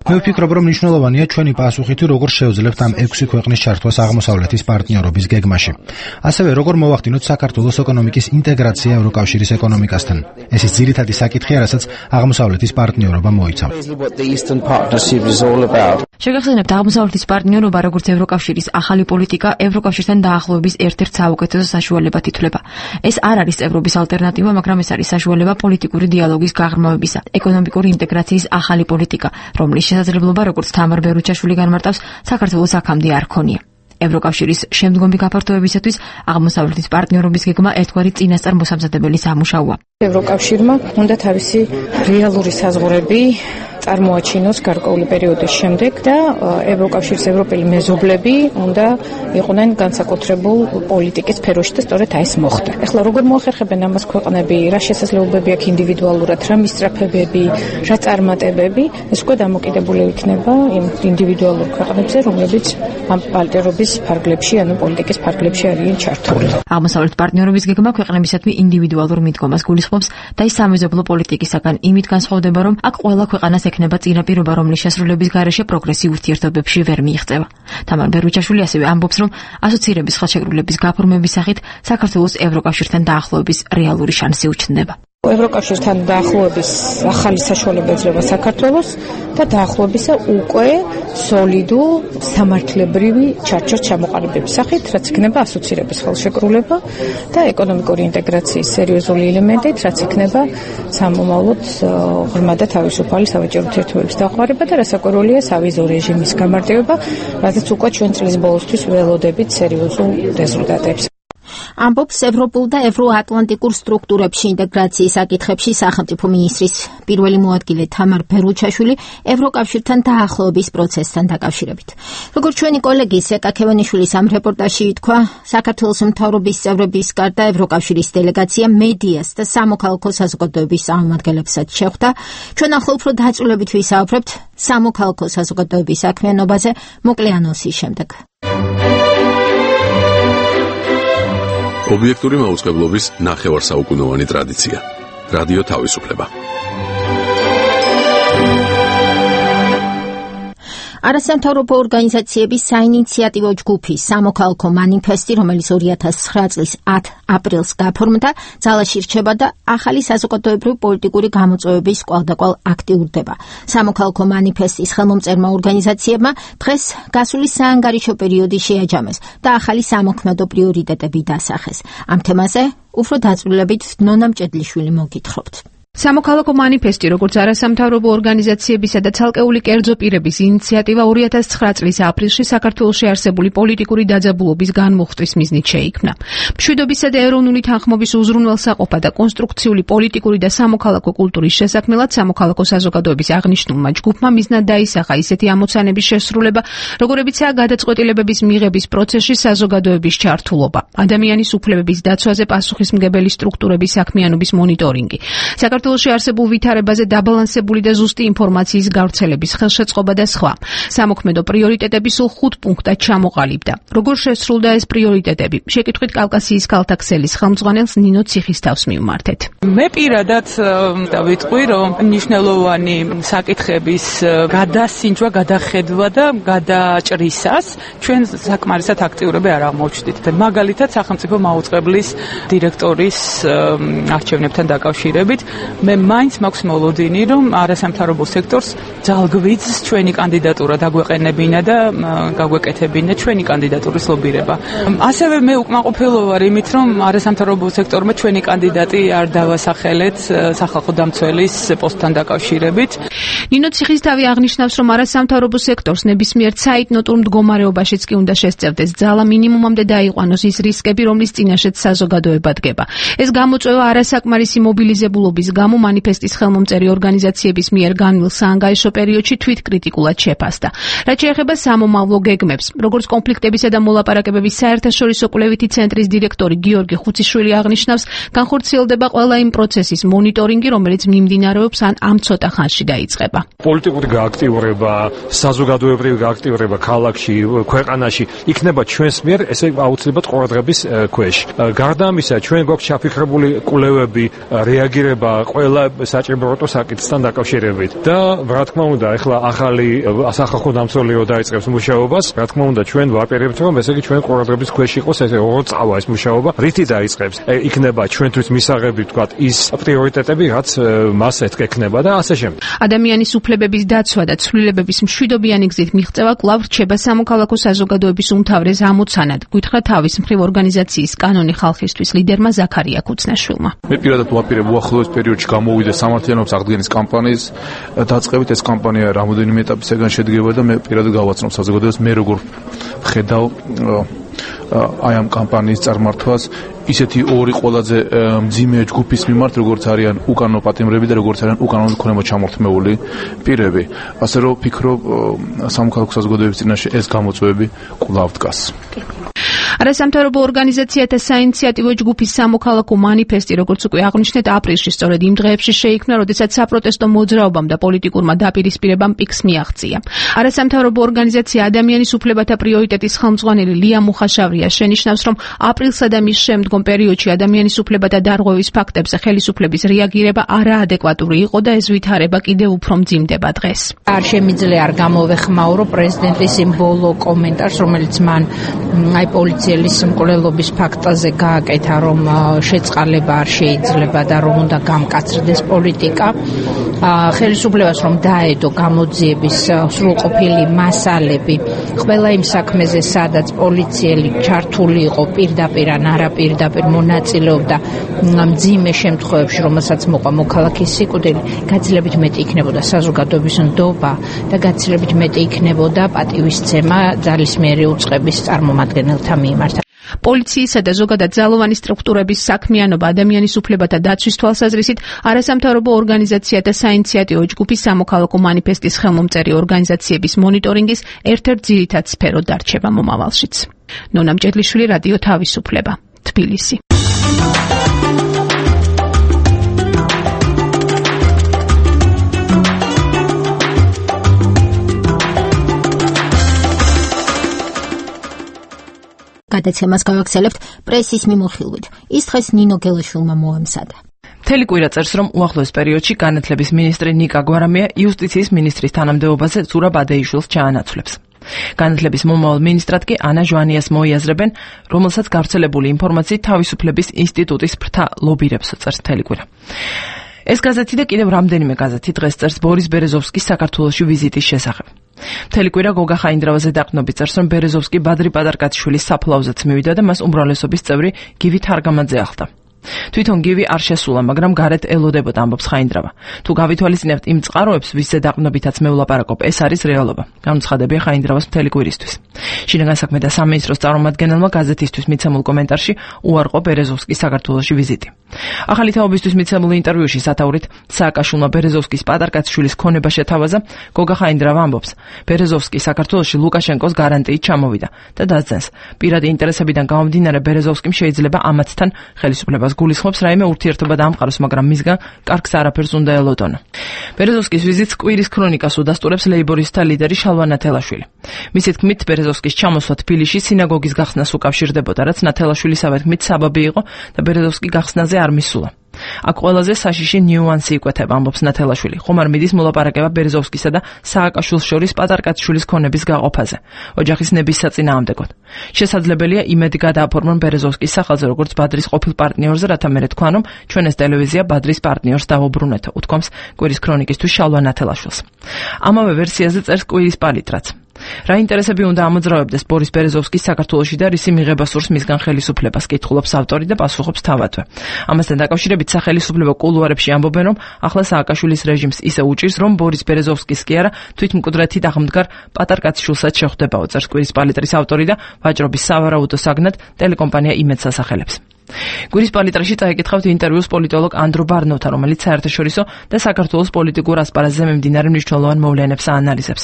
მე ვფიქრობ, რომ მნიშვნელოვანია ჩვენი პასუხი თუ როგორ შევძლებთ ამ ექვსი ქვეყნის ჩართვას აღმოსავლეთის პარტნიორობის გეგმაში. ასევე როგორ მოვახდინოთ საქართველოს ეკონომიკის ინტეგრაცია ევროკავშირის ეკონომიკასთან. ეს ის ძირითადი საკითხია, რასაც აღმოსავლეთის პარტნიორობა მოიცავს. შეგახსენებთ, აღმოსავლეთის პარტნიორობა როგორც ევროკავშირის ახალი პოლიტიკა ევროკავშირთან დაახლოების ერთ-ერთ საუკეთესო საშუალებად ითვლება. ეს არ არის წევრობის ალტერნატივა, მაგრამ ეს არის საშუალება პოლიტიკური დიალოგის გაღრმავებისა, ეკონომიკური ინტეგრაციის ახალი პოლიტიკა, რომლის შესაძლებლობა, როგორც თამარ ბერუჩაშვილი განმარტავს, საქართველოს აქამდე არ ქონია. ევროკავშირის შემდგომი გაფართოებისათვის აღმოსავლეთის პარტნიორობის გეგმა ერთგვარი წინასწარ მოსამზადებელი სამუშაოა. ევროკავშირმა უნდა თავისი რეალური საზღვრები წარმოაჩინოს გარკვეული პერიოდის შემდეგ და ევროკავშირის ევროპელი მეზობლები უნდა იყვნენ განსაკუთრებულ პოლიტიკის სფეროში და სწორედ აი ეს მოხდა. ეხლა როგორ მოახერხებენ ამას ქვეყნები, რა შესაძლებლობები აქვს ინდივიდუალურად, რა მისწრაფებები, რა წარმატებები, ეს უკვე დამოკიდებული იქნება იმ ინდივიდუალურ ქვეყნებზე, რომლებიც ამ პარტნიორობის ფარგლებში, ანუ პოლიტიკის ფარგლებში არიან ჩართული. აღმოსავლეთ პარტნიორობის გეგმა ქვეყნებისადმი ინდივიდუალურ მიდგომას გულისხმობს და ის სამეზობლო პოლიტიკისაგან იმით განსხვავდება, რომ აქ ყველა ქვეყანას ექნება წინაპირობა, რომლის შესრულების გარეშე პროგრესი ურთიერთობებში ვერ მიიღწევა. თამარ ბერუჩაშვილი ასევე ამბობს, რომ ასოცირების ხელშეკრულების გაფორმების სახით საქართველოს ევროკავშირთან დაახლოების რეალური შანსი უჩნდება. ევროკავშირთან დაახლოების ახალი საშუალება ეძლევა საქართველოს და დაახლოებისა უკვე სოლიდურ სამართლებრივი ჩარჩოს ჩამოყალიბების სახით, რაც იქნება ასოცირების ხელშეკრულება და ეკონომიკური ინტეგრაციის სერიოზული ელემენტით, რაც იქნება სამომავლოდ ღრმა და თავისუფალი სავაჭრო ურთიერთობების დაყვარება და რასაკვირველია სავიზო რეჟიმის გამარტივება, რადგან უკვე ჩვენ წლის ბოლოსთვის ველოდებით სერიოზულ რეზულტატებს. ამბობს ევროპულ და ევროატლანტიკურ სტრუქტურებში ინტეგრაციის საკითხებში სახელმწიფო მინისტრის პირველი მოადგილე თამარ ბერუჩაშვილი ევროკავშირთან დაახლოების პროცესთან დაკავშირებით. როგორც ჩვენი კოლეგი სეტა ქევანიშვილის ამ რეპორტაჟში ითქვა, საქართველოს მთავრობის წევრების გარდა ევროკავშირის დელეგაცია მედიას და სამოქალაქო საზოგადოების წარმომადგენლებსაც შეხვდა. ჩვენ ახლა უფრო დაწვრილებით ვისაუბრებთ სამოქალაქო საზოგადოების საქმიანობაზე მოკლე ანონსის შემდეგ. ობიექტური მაუწყებლობის ნახევარსაუკუნოვანი ტრადიცია. რადიო თავისუფლება. არასამთავრობო ორგანიზაციების საინიციატივო ჯგუფი სამოქალაქო მანიფესტი, რომელიც ორი ათას ცხრა წლის ათ აპრილს გაფორმდა, ძალაში რჩება და ახალი საზოგადოებრივი პოლიტიკური გამოწვევების კვალდაკვალ აქტიურდება. სამოქალაქო მანიფესტის ხელმომწერმა ორგანიზაციებმა დღეს გასული საანგარიშო პერიოდი შეაჯამეს და ახალი სამოქმედო პრიორიტეტები დასახეს. ამ თემაზე უფრო დაწვრილებით ნონა მჭედლიშვილი მოგითხრობთ. სამოქალაქო მანიფესტი, როგორც არასამთავრობო ორგანიზაციებისა და ცალკეული კერძო პირების ინიციატივა ორი ათას ცხრა წლის აპრილში საქართველოში არსებული პოლიტიკური დაძაბულობის განმუხტვის მიზნით შეიქმნა. მშვიდობისა და ეროვნული თანხმობის უზრუნველსაყოფა და კონსტრუქციული პოლიტიკური და სამოქალაქო კულტურის შესაქმნელად სამოქალაქო საზოგადოების აღნიშნულმა ჯგუფმა მიზნად დაისახა ისეთი ამოცანების შესრულება, როგორებიცაა გადაწყვეტილებების მიღების პროცესში საზოგადოების ჩართულობა, ადამიანის უფლებების დაცვაზე პასუხისმგებელი სტრუქტურების საქმიანობის მონიტორინგი, საქართველოში არსებულ ვითარებაზე დაბალანსებული და ზუსტი ინფორმაციის გავრცელების ხელშეწყობა და სხვა. სამოქმედო პრიორიტეტები სულ ხუთ პუნქტად ჩამოყალიბდა. როგორ შესრულდა ეს პრიორიტეტები? შეკითხვით კავკასიის ქალთა ქსელის ხელმძღვანელს ნინო ციხისთავს მივმართეთ. მე პირადად დავიტყვი, რომ მნიშვნელოვანი საკითხების გადასინჯვა, გადახედვა და გადაჭრისას ჩვენ საკმარისად აქტიურები არ აღმოჩნდით. მაგალითად, სახელმწიფო მაუწყებლის დირექტორის არჩევნებთან დაკავშირებით მე მაინც მაქვს მოლოდინი, რომ არასამთავრობო სექტორს ძალგვიძს ჩვენი კანდიდატურა დაგვეყენებინა და გაგვეკეთებინა ჩვენი კანდიდატურის ლობირება. ასევე მე უკმაყოფილო ვარ იმით, რომ არასამთავრობო სექტორმა ჩვენი კანდიდატი არ დავასახელეთ სახალხო დამცველის პოსტთან დაკავშირებით. ნინო ციხისთავი აღნიშნავს, რომ არასამთავრობო სექტორს ნებისმიერ ცაიდნოტურ მდგომარეობაშიც კი უნდა შესწევდეს ძალა მინიმუმამდე დაიყვანოს ის რისკები, რომლის წინაშეც საზოგადოება დგება. ეს გამოწვევა არასაკმარისი მობილიზებულობის გამო მანიფესტის ხელმომწერი ორგანიზაციების მიერ განვლილ საანგარიშო პერიოდში თვითკრიტიკულად შეფასდა. რაც შეეხება სამომავლო გეგმებს, როგორც კონფლიქტებისა და მოლაპარაკებების საერთაშორისო კვლევითი ცენტრის დირექტორი გიორგი ხუციშვილი აღნიშნავს, განხორციელდება ყველა იმ პროცესის მონიტორინგი, რომელიც მიმდინარეობს ან ამ ცოტა ხანში დაიწყება. პოლიტიკური გააქტიურება, საზოგადოებრივი გააქტიურება ქალაქში, ქვეყანაში იქნება ჩვენს მიერ ესე აუცილებლად ყურადღების ქვეშ. გარდა ამისა, ჩვენ გვაქვს ჩაფიქრებული კვლევები, რეაგირება ყველა საჭიროებო საკითხთან დაკავშირებით და რა თქმა უნდა, ახლა ახალი სახალხო დამცველიო დაიწყებს მუშაობას, რა თქმა უნდა, ჩვენ ვაპირებთ, რომ ესე იგი ჩვენ ყურადღების ქვეშ იყოს ესე როგორ წავა ეს მუშაობა, რითი დაიწყებს. იქნება ჩვენთვის მისაღები, თქვათ, ის პრიორიტეტები, რაც მას ეთქექნება და ასე შემდეგ. ადამიანის უფლებების დაცვა და ცვლილებების მშვიდობიანი გზით მიღწევა კვლავ რჩება სამოქალაქო საზოგადოების უმთავრეს ამოცანად, გითხრა თავის მხრივ ორგანიზაციის კანონი ხალხისთვის ლიდერმა ზაქარია ქუცნაშვილმა. მე პირადად ვაპირებ უახლოეს პერიოდში გამოვიდა სამართლიანობის აღდგენის კამპანიის დაწყებით. ეს კამპანია რამოდენიმე ეტაპისგან შედგება და მე პირადად გავაცნობ საზოგადოებას, მე როგორ ვხედავ აი ამ კამპანიის წარმართვას ისეთი ორი ყველაზე მძიმე ჯგუფის მიმართ, როგორც არიან უკანონო პატიმრები და როგორც არიან უკანონო ქონება ჩამორთმეული პირები. ასე რომ ვფიქრობ, სამოქალაქო საზოგადოების წინაშე ეს გამოწვევები კვლავ დგას. არასამთავრობო ორგანიზაციათა საინიციატივო ჯგუფის სამოქალაქო მანიფესტი, როგორც უკვე აღნიშნეთ, აპრილში სწორედ იმ დღეებში შეიქმნა, როდესაც საპროტესტო მოძრაობამ და პოლიტიკურმა დაპირისპირებამ პიკს მიაღწია. არასამთავრობო ორგანიზაცია ადამიანის უფლებათა პრიორიტეტის ხელმძღვანელი ლია მუხაშავრია შენიშნავს, რომ აპრილსა და მის შემდგომ პერიოდში ადამიანის უფლებათა დარღვევის ფაქტებზე ხელისუფლების რეაგირება არაადეკვატური იყო და ეს ვითარება კიდევ უფრო მძიმდება დღეს. არ შემიძლია არ გამოვეხმაურო პრეზიდენტის იმ ბოლო კომენტარს, რომელიც მან აი პოლიციელის მკვლელობის ფაქტაზე გააკეთა, რომ შეწყალება არ შეიძლება და რომ უნდა გამკაცრდეს პოლიტიკა. ხელისუფლებას რომ დაედო გამოძიების სრულყოფილი მასალები ყველა იმ საქმეზე, სადაც პოლიციელი ჩართული იყო პირდაპირ ან არაპირდაპირ მონაწილეობდა მძიმე შემთხვევებში, რომელსაც მოყვა მოქალაქის სიკვდილი, გაცილებით მეტი იქნებოდა საზოგადოების ნდობა და გაცილებით მეტი იქნებოდა პატივისცემა ძალისმიერი უწყების წარმომადგენელთა მიმართ. პოლიციისა და ზოგადად ძალოვანი სტრუქტურების საქმიანობა ადამიანის უფლებათა დაცვის თვალსაზრისით არასამთავრობო ორგანიზაციათა საინიციატივო ჯგუფის სამოქალაქო მანიფესტის ხელმომწერი ორგანიზაციების მონიტორინგის ერთ-ერთ ძირითად სფეროდ დარჩება მომავალშიც. ნონა მჭედლიშვილი, რადიო თავისუფლება, თბილისი. გადაცემას გავაგრძელებთ პრესის მიმოხილვით. ის დღეს ნინო გელაშვილმა მოამზადა. მთელი კვირა წერს, რომ უახლოეს პერიოდში განათლების მინისტრი ნიკა გვარამია იუსტიციის მინისტრის თანამდებობაზე ზურაბ ადეიშვილს ჩაანაცვლებს. განათლების მომავალ მინისტრად კი ანა ჟვანიას მოიაზრებენ, რომელსაც გავრცელებული ინფორმაციით თავისუფლების ინსტიტუტის ფრთა ლობირებს, წერს მთელი კვირა. ეს გაზეთი და კიდევ რამდენიმე გაზეთი დღეს წერს ბორის ბერეზოვსკის საქართველოში ვიზიტის შესახებ. მთელი კვირა გოგა ხაინდრავაზე დაყრდნობით წერს, რომ ბერეზოვსკი ბადრი პატარკაციშვილის საფლავზეც მივიდა და მას უმრავლესობის წევრი გივი თარგამაძე ახლდა. თვითონ გივი არ შესულა, მაგრამ გარეთ ელოდებოდა, ამბობს ხაინდრავა. თუ გავითვალისწინებთ იმ წყაროებს, ვისზე დაყრდნობითაც მევლაპარაკობ, ეს არის რეალობა. განუცხადებია ხაინდრავას მთელი კვირისთვის. შინაგან საქმეთა სამინისტროს წარმომადგენელმა გაზეთისთვის მიცემულ კომენტარში უარყო ბერეზოვსკის საქართველოში ვიზიტი. ახალი თაობისთვის მიცემულ ინტერვიუში სათაურით სააკაშვილმა ბერეზოვსკის პატარკაციშვილის ქონება შეთავაზა, გოგა ხაინდრავა ამბობს, ბერეზოვსკი საქართველოში ლუკაშენკოს გარანტიით ჩამოვიდა და დაძენს. პირადი ინტერესებიდან გამომდინარე ბერეზოვსკიმ შეიძლება ამათთან ხელისუფლებას გულისხმობს რაიმე ურთიერთობა დაამყაროს, მაგრამ მისგან კარგს არაფერს უნდა ელოდონა. ბერეზოვსკის ვიზიტს კვირის ქრონიკას უდასტურებს ლეიბორისტთა ლიდერი შალვა ნათელაშვილი. მისი თქმით, ბერეზოვსკის ჩამოსვლა თბილისში სინაგოგის გახსნას უკავშირდებოდა, რაც ნათელაშვილისავე თქმით საბაბი იყო და ბერეზოვსკი გახსნაზე არ მისულა. აქ ყველაზე საშიში ნიუანსი იკვეთება, ამბობს ნათელაშვილი. ხომ არ მიდის მოლაპარაკება ბერეზოვსკისა და სააკაშვილს შორის პატარკაციშვილის ქონების გაყოფაზე, ოჯახის ნების საწინააღმდეგოდ. შესაძლებელია იმედი გადააფორმონ ბერეზოვსკის სახელზე, როგორც ბადრის ყოფილ პარტნიორზე, რათა მერე თქვან, რომ ჩვენ ეს ტელევიზია ბადრის პარტნიორს დავუბრუნეთო, უთქვამს კვირის ქრონიკისთვის შალვა ნათელაშვილს. ამავე ვერსიაზე წერს კვირის პალიტრაც. რა ინტერესები უნდა ამოძრავებდეს ბორის ბერეზოვსკის საქართველოში და რისი მიღება სურს მისგან ხელისუფლებას, კითხულობს ავტორი და პასუხობს თავადვე. ამასთან დაკავშირებით სახელისუფლებო კულუარებში ამბობენ, რომ ახლა სააკაშვილის რეჟიმს ისე უჭირს, რომ ბორის ბერეზოვსკის კი არა, თვითმკვდრეთით აღმდგარ პატარკაციშვილსაც შეხვდებაო, წერს კვირის პალიტრის ავტორი და ვაჭრობის სავარაუდო საგნად ტელეკომპანია იმედს ასახელებს. კვირის პალიტრაში წაიკითხავთ ინტერვიუს პოლიტოლოგ ანდრო ბარნოთან, რომელიც საერთაშორისო და საქართველოს პოლიტიკურ ასპარეზზე მიმდინარე მნიშვნელოვან მოვლენებს აანალიზებს.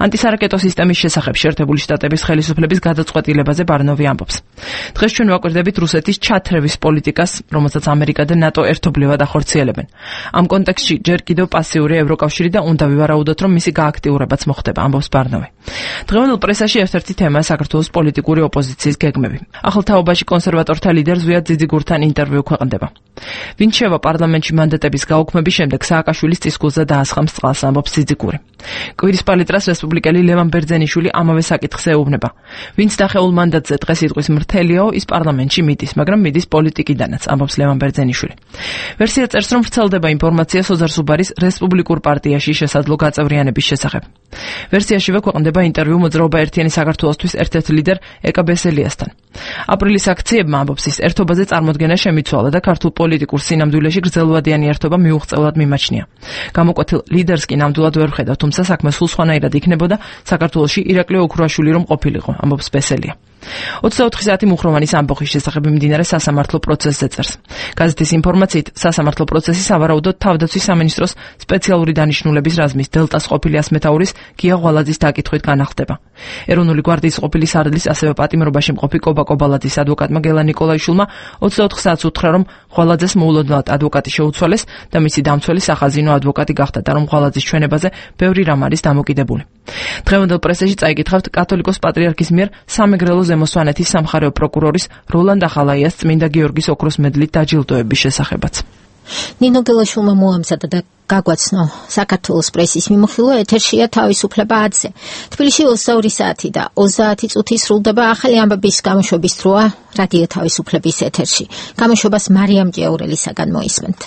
ანტისარაკეტო სისტემის შესახებ შეერთებული შტატების ხელისუფლების გადაწყვეტილებაზე ბარნოვი ამბობს. დღეს ჩვენ ვაკვირდებით რუსეთის ჩათრევის პოლიტიკას, რომელსაც ამერიკა და ნატო ერთობლივად ახორციელებენ. ამ კონტექსტში ჯერ კიდევ პასიური ევროკავშირი და უნდა ვივარაუდოთ, რომ მისი გააქტიურებაც მოხდება, ამბობს ბარნოვი. დღევანდელ პრესაში ერთ-ერთი თემაა საქართველოს პოლიტიკური ოპოზიციის გეგმები. ახალ თაობაში კონსერვატორთა ლიდერს ზვიად ძიძიგურთან ინტერვიუ ქვეყნდება. ვინ შევა პარლამენტში მანდატების გაუქმების შემდეგ სააკაშვილის წისქვილზე დაასხამს წყალს, ამბობს ძიძიგური. კვირის პალიტრას რესპუბლიკელი ლევან ბერძენიშვილი ამავე საკითხს ეუბნება. ვინც დახეულ მანდატზე დღეს იტყვის მრთელიაო, ის პარლამენტში მიდის, მაგრამ მიდის პოლიტიკიდანაც, ამბობს ლევან ბერძენიშვილი. ვერსია წერს, რომ ვრცელდება ინფორმაცია სოზარ სუბარის რესპუბლიკურ პარტიაში შესაძლო გაწევრიანების შესახებ. ვერსიაშივე ქვეყნდება ინტერვიუ მოძრაობა ერთიანი საქართველოსთვის ერთ-ერთ ლიდერ ეკა ბესელიასთან. აპრილის აქციებმა, ამბობს ის, ერთობაზე წარმოდგენა შემიცვალა და ქართულ პოლიტიკურ სინამდვილეში გრძელვადიანი ერთობა მიუღწევლად მიმაჩნია. გამოკვეთილ ლიდერს კი ნამდვილად ვერ ხედავ, თუმცა საქმე სულ სხვანაირად იქნებოდა საქართველოში ირაკლი ოქრუაშვილი რომ ყოფილიყო, ამბობს ბესელია. ოცდაოთხი საათი მუხროვანის ამბოხის შესახებ მიმდინარე სასამართლო პროცესზე წერს. გაზეთის ინფორმაციით, სასამართლო პროცესი სავარაუდოდ თავდაცვის სამინისტროს სპეციალური დანიშნულების რაზმის დელტას ყოფილი ასმეთაურის გია ღვალაძის დაკითხვით განახლდება. ეროვნული გვარდიის ყოფილი სარდლის ასევე პატიმრობაში მყოფი კობა კობალაძის ადვოკატმა გელა ნიკოლაიშვილმა ოცდაოთხ საათს უთხრა, რომ ღვალაძეს მოულოდნელად ადვოკატი შეუცვალეს და მისი დამცველი სახაზინო ადვოკატი გახდა და რომ ღვალაძის ჩვენებაზე ბევრი რამ არის დამოკიდებული. დღევანდელ პრესაში წაიკითხავთ კათოლიკოს პატრიარქის მიერ სამეგრელო ზემოსვანეთის სამხარეო პროკურორის როლანდ ახალაიას წმინდა გიორგის ოქროს მედლით დაჯილდოების შესახებაც. ნინო გელაშვილმა მოამზადა და გაგვაცნო საქართველოს პრესის მიმოხილვა ეთერშია თავისუფლება ათზე. თბილისში ოცდაორი საათი და ოცდაათი წუთი სრულდება ახალი ამბების გამოშვების დროა რადიო თავისუფლების ეთერში. გამოშვებას მარიამ ჭიაურელისაგან მოისმენთ.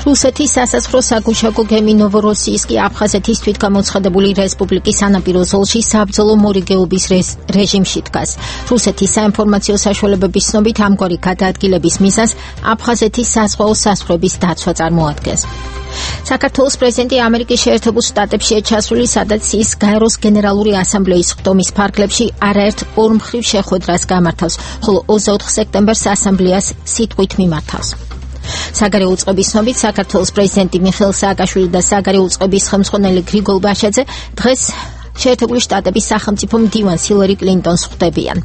რუსეთის სასაზღვრო საგუშაგო გემი ნოვოროსიისკი აფხაზეთის თვითგამოცხადებული რესპუბლიკის სანაპირო ზოლში საბრძოლო მორიგეობის რეჟიმში დგას. რუსეთის საინფორმაციო საშუალებების ცნობით ამგვარი გადაადგილების მიზანს აფხაზეთის საზღვაო საზღვრების დაცვა წარმოადგენს. საქართველოს პრეზიდენტი ამერიკის შეერთებულ შტატებში ჩასული, სადაც ის გაეროს გენერალური ასამბლეის ხდომის ფარგლებში არაერთ ორმხრივ შეხვედრას გამართავს, ხოლო ოცდაოთხ სექტემბერს ასამბლეას სიტყვით მიმართავს. საგარეო უწყების ცნობით, საქართველოს პრეზიდენტი მიხეილ სააკაშვილი და საგარეო უწყების ხელმძღვანელი გრიგოლ ბაშაძე დღეს შეერთებული შტატების სახელმწიფო მდივანს ჰილარი კლინტონს ხვდებიან.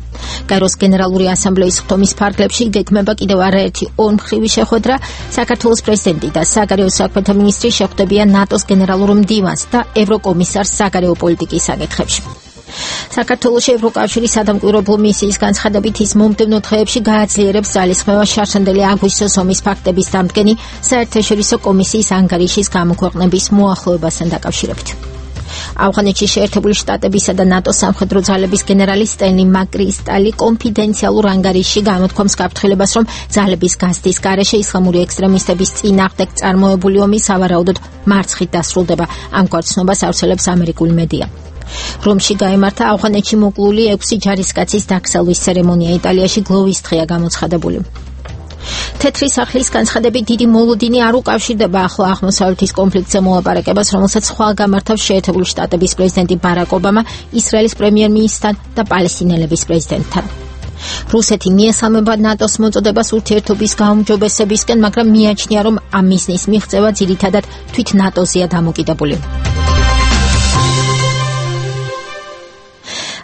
გაეროს გენერალური ასამბლეის ხდომის ფარგლებში გეგმება კიდევ არაერთი ორმხრივი შეხვედრა. საქართველოს პრეზიდენტი და საგარეო საქმეთა მინისტრი შეხვდებიან ნატოს გენერალურ მდივანს და ევროკომისარს საგარეო პოლიტიკის საკითხებში. საქართველოში ევროკავშირის სადამკვირვებლო მისიის განცხადებით, ის მომდევნო დღეებში გააძლიერებს ძალისხმევას შარშანდელი აგვისტოს ომის ფაქტების დამდგენი საერთაშორისო კომისიის ანგარიშის გამოქვეყნების მოახლოებასთან დაკავშირებით. ავღანეთში შეერთებული შტატებისა და ნატოს სამხედრო ძალების გენერალი სტენლი მაკრისტალი კონფიდენციალურ ანგარიშში გამოთქვამს გაფრთხილებას, რომ ძალების გაზრდის გარეშე ისლამური ექსტრემისტების წინააღმდეგ წარმოებული ომი სავარაუდოდ მარცხით დასრულდება. ამგვარ ცნობას ავრცელებს ამერიკული მედია. რომში გაიმართა ავღანეთში მოკლული ექვსი ჯარისკაცის დაკრძალვის ცერემონია. იტალიაში გლოვის დღეა გამოცხადებული. თეთრი სახლის განცხადებით, დიდი მოლოდინი არ უკავშირდება ახლო აღმოსავლეთის კონფლიქტზე მოლაპარაკებას, რომელსაც ხვალ გამართავს შეერთებული შტატების პრეზიდენტი ბარაკ ობამა ისრაელის პრემიერ-მინისტრთან და პალესტინელების პრეზიდენტთან. რუსეთი მიესალმება ნატოს მოწოდებას ურთიერთობის გაუმჯობესებისკენ, მაგრამ მიაჩნია, რომ ამ მიზნის მიღწევა ძირითადად თვით ნატოზეა დამოკიდებული.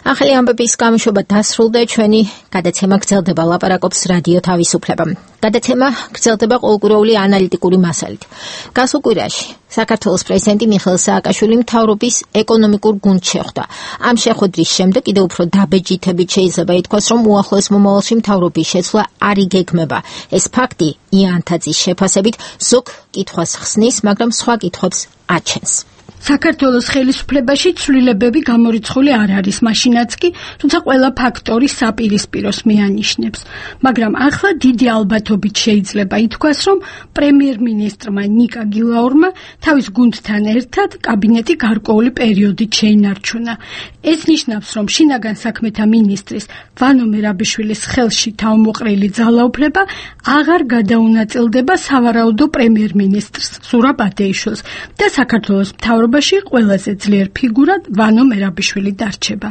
ახალი ამბების გამოშვება დასრულდა, ჩვენი გადაცემა გრძელდება, ლაპარაკობს რადიო თავისუფლება. გადაცემა გრძელდება ყოველკვირეული ანალიტიკური მასალით. გასულ კვირაში საქართველოს პრეზიდენტი მიხეილ სააკაშვილი მთავრობის ეკონომიკურ გუნდს შეხვდა. ამ შეხვედრის შემდეგ კიდევ უფრო დაბეჯითებით შეიძლება ითქვას, რომ უახლოეს მომავალში მთავრობის შეცვლა არ იგეგმება. ეს ფაქტი იანთაძის შეფასებით ზოგ კითხვას ხსნის, მაგრამ სხვა კითხვებს აჩენს. საქართველოს ხელისუფლებაში ცვლილებები გამორიცხული არ არის, მაშინაც კი, თუმცა ყველა ფაქტორი საპირისპიროს მიანიშნებს. მაგრამ ახლა დიდი ალბათობით შეიძლება ითქვას, რომ პრემიერ-მინისტრმა ნიკა გილაურმა თავის გუნდთან ერთად კაბინეტი გარკვეული პერიოდით შეინარჩუნა. ეს ნიშნავს, რომ შინაგან საქმეთა მინისტრის ვანო მერაბიშვილის ხელში თავმოყრილი ძალაუფლება აღარ გადაუნაწილდება სავარაუდო პრემიერ-მინისტრს ზურაბ ათეიშვილს და საქართველოს მთავრობაში ყველაზე ძლიერ ფიგურად ვანო მერაბიშვილი დარჩება.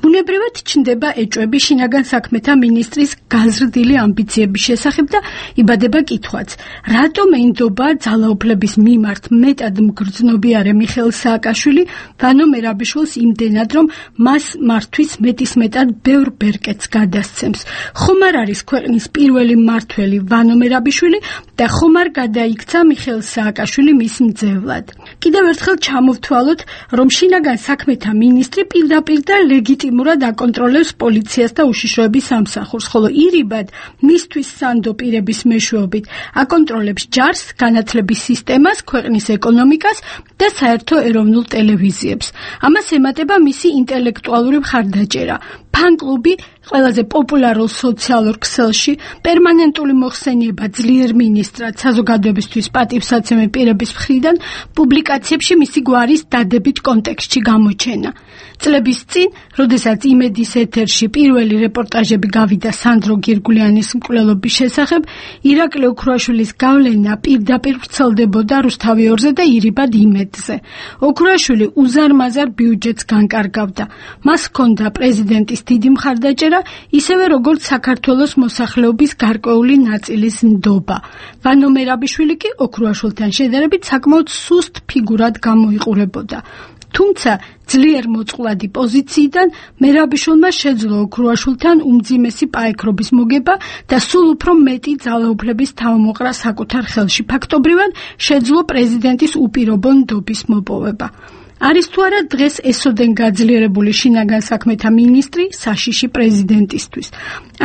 ბუნებრივად ჩნდება ეჭვები შინაგან საქმეთა მინისტრის გაზრდილი ამბიციების შესახებ და იბადება კითხვაც, რატომ ენდობა ძალაუფლების მიმართ მეტად მგრძნობიარე მიხეილ სააკაშვილი ვანო მერაბიშვილს იმდენად, რომ მას მართვის მეტისმეტად ბევრ ბერკეტს გადასცემს. ხომ არ არის ქვეყნის პირველი მმართველი ვანო მერაბიშვილი და ხომ არ გადაიქცა მიხეილ სააკაშვილი მის მძევლად. კიდევ ერთხელ ჩამოვთვალოთ, რომ შინაგან საქმეთა მინისტრი პირდაპირ და ლეგიტიმურად აკონტროლებს პოლიციას და უშიშროების სამსახურს, ხოლო ირიბად მისთვის სანდო პირების მეშვეობით აკონტროლებს ჯარს, განათლების სისტემას, ქვეყნის ეკონომიკას და საერთო ეროვნულ ტელევიზიებს. ამას ემატება მისი ინტელექტუალური მხარდაჭერა. ფან-კლუბი ყველაზე პოპულარულ სოციალურ ქსელში, პერმანენტული მოხსენება ძლიერ მინისტრად საზოგადოებისთვის პატივსაცემი პირების მხრიდან პუბლიკაციებში მისი გვარის დადებით კონტექსტში გამოჩენა. წლების წინ, როდესაც იმედის ეთერში პირველი რეპორტაჟები გავიდა სანდრო გირგულიანის მკვლელობის შესახებ, ირაკლი ოქრუაშვილის გავლენა პირდაპირ ვრცელდებოდა რუსთავიორზე და ირიბად იმედზე. ოქრუაშვილი უზარმაზარ ბიუჯეტს განკარგავდა. მას ჰქონდა პრეზიდენტის დიდი მხარდაჭერა, ისევე როგორც საქართველოს მოსახლეობის გარკვეული ნაწილის ნდობა. ვანო მერაბიშვილი კი ოქრუაშვილთან შედარებით საკმაოდ სუსტ ფიგურად გამოიყურებოდა. თუმცა ძლიერ მოწყვლადი პოზიციიდან მერაბიშვილმა შეძლო ოქრუაშვილთან უმძიმესი პაექრობის მოგება და სულ უფრო მეტი ძალაუფლების თავმოყრა საკუთარ ხელში. ფაქტობრივად შეძლო პრეზიდენტის უპირობო ნდობის მოპოვება. არის თუ არა დღეს ესოდენ გაძლიერებული შინაგან საქმეთა მინისტრი საშიში პრეზიდენტისთვის.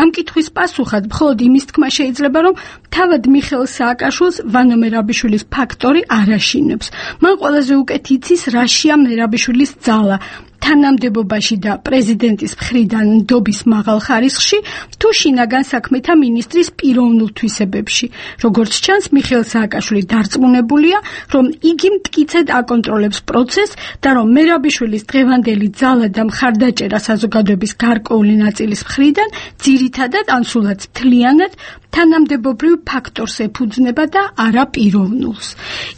ამ კითხვის პასუხად მხოლოდ იმის თქმა შეიძლება, რომ თავად მიხეილ სააკაშვილს ვანო მერაბიშვილის ფაქტორი არ აშინებს. მან ყველაზე უკეთ იცის რაშია მერაბიშვილის ძალა თანამდებობაში და პრეზიდენტის მხრიდან ნდობის მაღალ ხარისხში თუ შინაგან საქმეთა მინისტრის პიროვნულ თვისებებში. როგორც ჩანს, მიხეილ სააკაშვილი დარწმუნებულია, რომ იგი მტკიცედ აკონტროლებს პროცესს და რომ მერაბიშვილის დღევანდელი ძალა და მხარდაჭერა საზოგადოების გარკვეული ნაწილის მხრიდან ძირითადად ან სულაც მთლიანად თანამდებობრივ ფაქტორს ეფუძნება და არა პიროვნულს.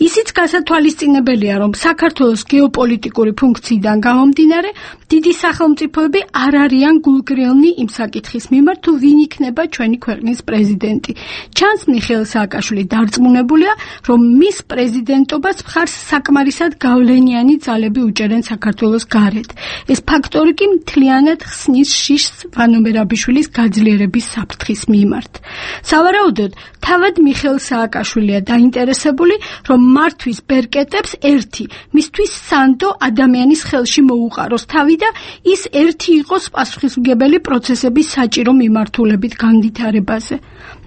ისიც გასათვალისწინებელია, რომ საქართველოს გეოპოლიტიკური ფუნქციიდან გამომდინარე, დიდი სახელმწიფოები არ არიან გულგრილნი იმ საკითხის მიმართ, თუ ვინ იქნება ჩვენი ქვეყნის პრეზიდენტი. ჩანს, მიხეილ სააკაშვილი დარწმუნებულია, რომ მის პრეზიდენტობას მხარს საკმარისად გავლენიანი ძალები უჭერენ საქართველოს გარეთ. ეს ფაქტორი კი მთლიანად ხსნის შიშს ვანო მერაბიშვილის გაძლიერების საფრთხის მიმართ. სავარაუდოდ, თავად მიხეილ სააკაშვილია დაინტერესებული, რომ მართვის ბერკეტებს ერთი, მისთვის სანდო ადამიანის ხელში მოუყაროს თავი და ის ერთი იყოს პასუხისმგებელი პროცესების საჭირო მიმართულებით განვითარებაზე.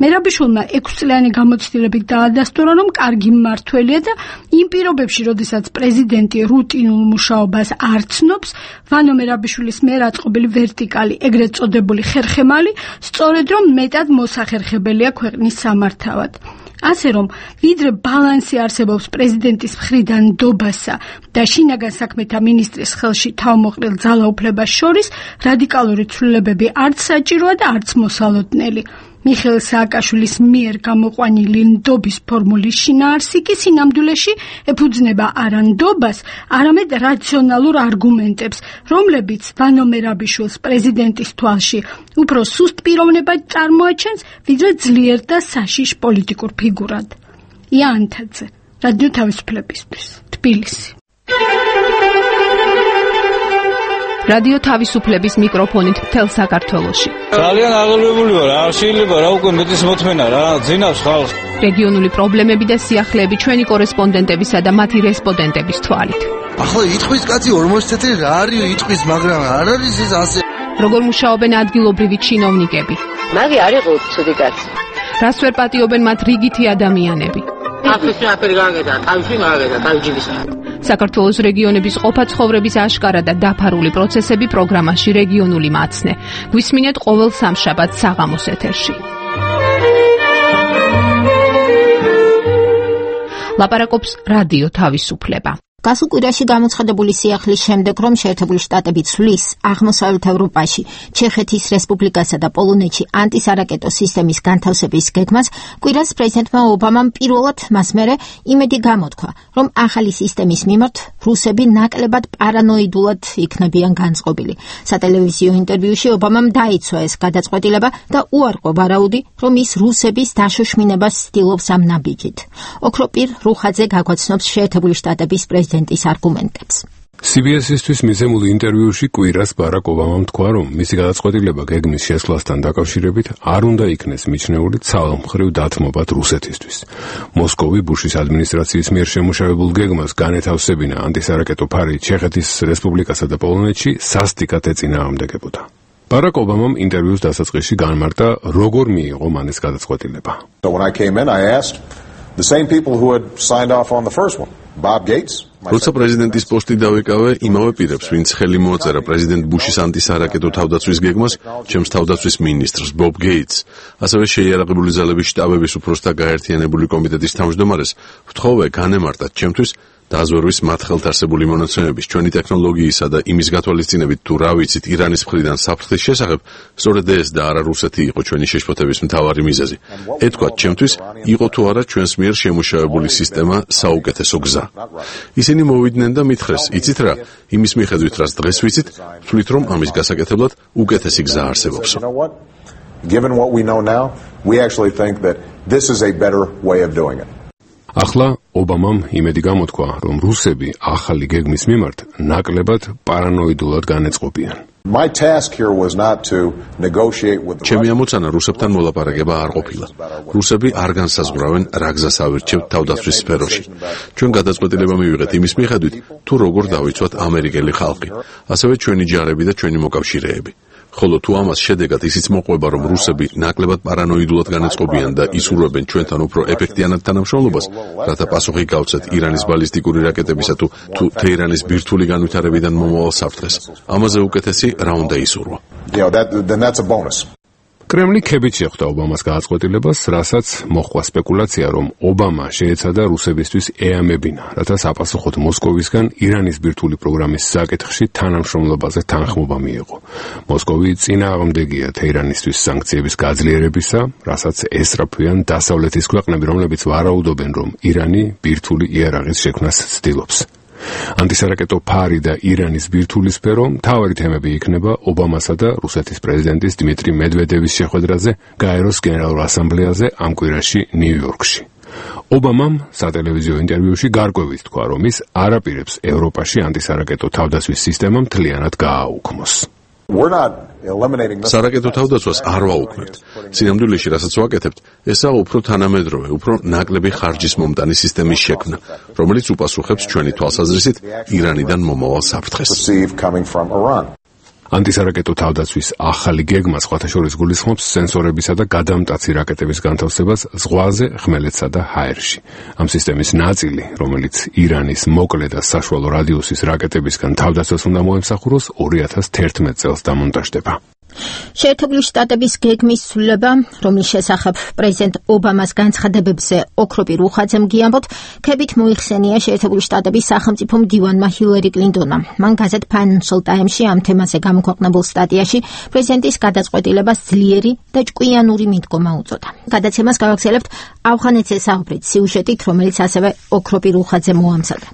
მერაბიშვილმა ექვსწლიანი გამოცდილებით დაადასტურა, რომ კარგი მმართველია და იმ პირობებში, როდესაც პრეზიდენტი რუტინულ მუშაობას არ ცნობს, ვანო მერაბიშვილის მიერ აწყობილი ვერტიკალი, ეგრეთ წოდებული ხერხემალი, სწორედ რომ მეტად მოსახერხებელია ქვეყნის სამართავად. ასე რომ, ვიდრე ბალანსი არსებობს პრეზიდენტის მხრიდან ნდობასა და შინაგან საქმეთა მინისტრის ხელში თავმოყრილ ძალაუფლებას შორის, რადიკალური ცვლილებები არც საჭიროა და არც მოსალოდნელი. მიხეილ სააკაშვილის მიერ გამოყვანილი ნდობის ფორმულის შინაარსი კი სინამდვილეში ეფუძნება არა ნდობას, არამედ რაციონალურ არგუმენტებს, რომლებიც ვანო მერაბიშვილს პრეზიდენტის თვალში უფრო სუსტ პიროვნებად წარმოაჩენს, ვიდრე ძლიერ და საშიშ პოლიტიკურ ფიგურად. ია ანთაძე, რადიო თავისუფლებისთვის, თბილისი. რადიო თავისუფლების მიკროფონით მთელ საქართველოში. ძალიან აღელვებული ვარ, არ შეიძლება რა უკვე მეტის მოთმენა რა, ძინავს ხალხს. რეგიონული პრობლემები და სიახლეები ჩვენი კორესპონდენტებისა და მათი რესპონდენტების თვალით. ახლა იტყვის კაცი ორმოცი წელი რა არის იტყვის, მაგრამ არ არის ეს ასე. როგორ მუშაობენ ადგილობრივი ჩინოვნიკები? მაგი არ იყო ცუდი კაცი. რას ვერ პატიობენ მათ რიგითი ადამიანები? აფრიკი აფერი გაგედა, თავში მაგედა, თავჯიბის. საქართველოს რეგიონების ყოფა-ცხოვრების აშკარა და დაფარული პროცესები პროგრამაში რეგიონული მაცნე. გვისმინეთ ყოველ სამშაბათს საღამოს ეთერში. ლაპარაკობს რადიო თავისუფლება. გასულ კვირაში გამოცხადებული სიახლის შემდეგ, რომ შეერთებული შტატები ცვლის აღმოსავლეთ ევროპაში, ჩეხეთის რესპუბლიკასა და პოლონეთში ანტისარაკეტო სისტემის განთავსების გეგმას, კვირას პრეზიდენტმა ობამამ პირველად მას მერე იმედი გამოთქვა, რომ ახალი სისტემის მიმართ რუსები ნაკლებად პარანოიდულად იქნებიან განწყობილი. სატელევიზიო ინტერვიუში ობამამ დაიცვა ეს გადაწყვეტილება და უარყო ვარაუდი, რომ ის რუსების დაშოშმინებას ცდილობს ამ ნაბიჯით. ოქროპირ რუხაძე გაგვაცნობს შეერთებული შტატების პრეზიდენტის არგუმენტებს. სი ბი ეს-ისთვის მიცემულ ინტერვიუში კვირას ბარაკ ობამამ თქვა, რომ მისი გადაწყვეტილება გეგმის შესვლასთან დაკავშირებით არ უნდა იქნეს მიჩნეული ცალმხრივ დათმობად რუსეთისთვის. მოსკოვი ბუშის ადმინისტრაციის მიერ შემუშავებულ გეგმას განეთავსებინა ანტისარაკეტო ფარი ჩეხეთის რესპუბლიკასა და პოლონეთში სასტიკად ეწინააღმდეგებოდა. ბარაკ ობამამ ინტერვიუს დასაწყისში განმარტა, როგორ მიიღო მან ეს გადაწყვეტილება. So when I came in, I asked the same people who had signed off on the first one, Bob Gates, როცა პრეზიდენტის პოსტი დავიკავე, იმავე პირებს, ვინც ხელი მოაწერა პრეზიდენტ ბუშის ანტისარაკეტო თავდაცვის გეგმას, ჩემს თავდაცვის მინისტრს ბობ გეიტს, ასევე შეიარაღებული ძალების შტაბების უფროსთა გაერთიანებული კომიტეტის თავმჯდომარეს, ვთხოვე განემარტათ ჩემთვის დააზვერვის მათ ხელთ არსებული მონაცემების, ჩვენი ტექნოლოგიისა და იმის გათვალისწინებით თუ რა ვიცით ირანის მხრიდან საფრთხის შესახებ, სწორედ ეს და არა რუსეთი იყო ჩვენი შეშფოთების მთავარი მიზეზი. ეთქვათ ჩემთვის, იყო თუ არა ჩვენს მიერ შემუშავებული სისტემა საუკეთესო გზა. ისინი მოვიდნენ და მითხრეს, იცით რა, იმის მიხედვით რაც დღეს ვიცით, ვთვლით რომ ამის გასაკეთებლად უკეთესი გზა არსებობს. Given what we know now, we actually think that this is a better way of doing it. ახლა ობამამ იმედი გამოთქვა, რომ რუსები ახალი გეგმის მიმართ ნაკლებად პარანოიდულად განეწყობიან. My task here was not to negotiate with the ჩემი ამოცანა რუსებთან მოლაპარაკება არ ყოფილა. რუსები არ განსაზღვრავენ რა გზას ავირჩევთ თავდაცვის სფეროში. ჩვენ გადაწყვეტილება მივიღეთ იმის მიხედვით, თუ როგორ დავიცვათ ამერიკელი ხალხი, ასევე ჩვენი ჯარები და ჩვენი მოკავშირეები. ხოლო თუ ამას შედეგად ისიც მოყვება, რომ რუსები ნაკლებად პარანოიდულად განეწყობიან და ისურვებენ ჩვენთან უფრო ეფექტიანად თანამშრომლობას, რათა პასუხი გავცეთ ირანის ბალისტიკური რაკეტებისა თუ თუ თეირანის ბირთვული განვითარებიდან მომავალ საფრთხეს, ამაზე უკეთესი რა უნდა ისურვა. Yeah, that, then that's a bonus. კრემლი ქებით შეხვდა ობამას გააწყვილებას, რასაც მოხდა სპეკულაცია, რომ ობამა შეეცადა რუსებისთვის ეამებინა, რათა საპასუხოდ მოსკოვისგან ირანის ბირთვული პროგრამის საკითხში თანამშრომლობაზე თანხმობა მიეღო. მოსკოვი წინააღმდეგია თეირანისთვის სანქციების გაძლიერებისა, რასაც ესწრაფვიან დასავლეთის ქვეყნები, რომლებიც ვარაუდობენ, რომ ირანი ბირთვული იარაღის შექმნას ცდილობს. ანტისარაკეტო ფარი და ირანის ბირთვული სფერო მთავარი თემები იქნება ობამასა და რუსეთის პრეზიდენტის დიმიტრი მედვედევის შეხვედრაზე გაეროს გენერალურ ასამბლეაზე ამ კვირაში ნიუ-იორკში. ობამამ სატელევიზიო ინტერვიუში გარკვევით თქვა, რომ ის არ აპირებს ევროპაში ანტისარაკეტო თავდაცვის სისტემა მთლიანად გააუქმოს. სარაკეტო თავდაცვას არ ვაუქმებთ. სინამდვილეში, რასაც ვაკეთებთ, ესაა უფრო თანამედროვე, უფრო ნაკლები ხარჯის მომტანი სისტემის შექმნა, რომელიც უპასუხებს ჩვენი თვალსაზრისით ირანიდან მომავალ საფრთხეს. ანტისარაკეტო თავდაცვის ახალი გეგმა სხვათა შორის გულისხმობს სენსორებისა და გადამტაცი რაკეტების განთავსებას ზღვაზე, ხმელეთსა და ჰაერში. ამ სისტემის ნაწილი, რომელიც ირანის მოკლე და საშუალო რადიუსის რაკეტებისგან თავდაცვას უნდა მოემსახუროს, ორი ათას თერთმეტ წელს დამონტაჟდება. შეერთებული შტატების გეგმის ცვლილება, რომლის შესახებ პრეზიდენტ ობამას განცხადებებზე ოქროპირ უხაძემ გიამბოთ, ქებით მოიხსენია შეერთებული შტატების სახელმწიფო მდივანმა ჰილარი კლინტონმა. მან გაზეთ Financial Times-ში ამ თემაზე გამოქვეყნებულ სტატიაში პრეზიდენტის გადაწყვეტილებას ძლიერი და ჭკვიანური მიდგომა უწოდა. გადაცემას გავაგზავნებთ ავღანეთს ესაუბრით სიუჟეტით, რომელიც ასევე ოქროპირ უხაძემ მოამზადა.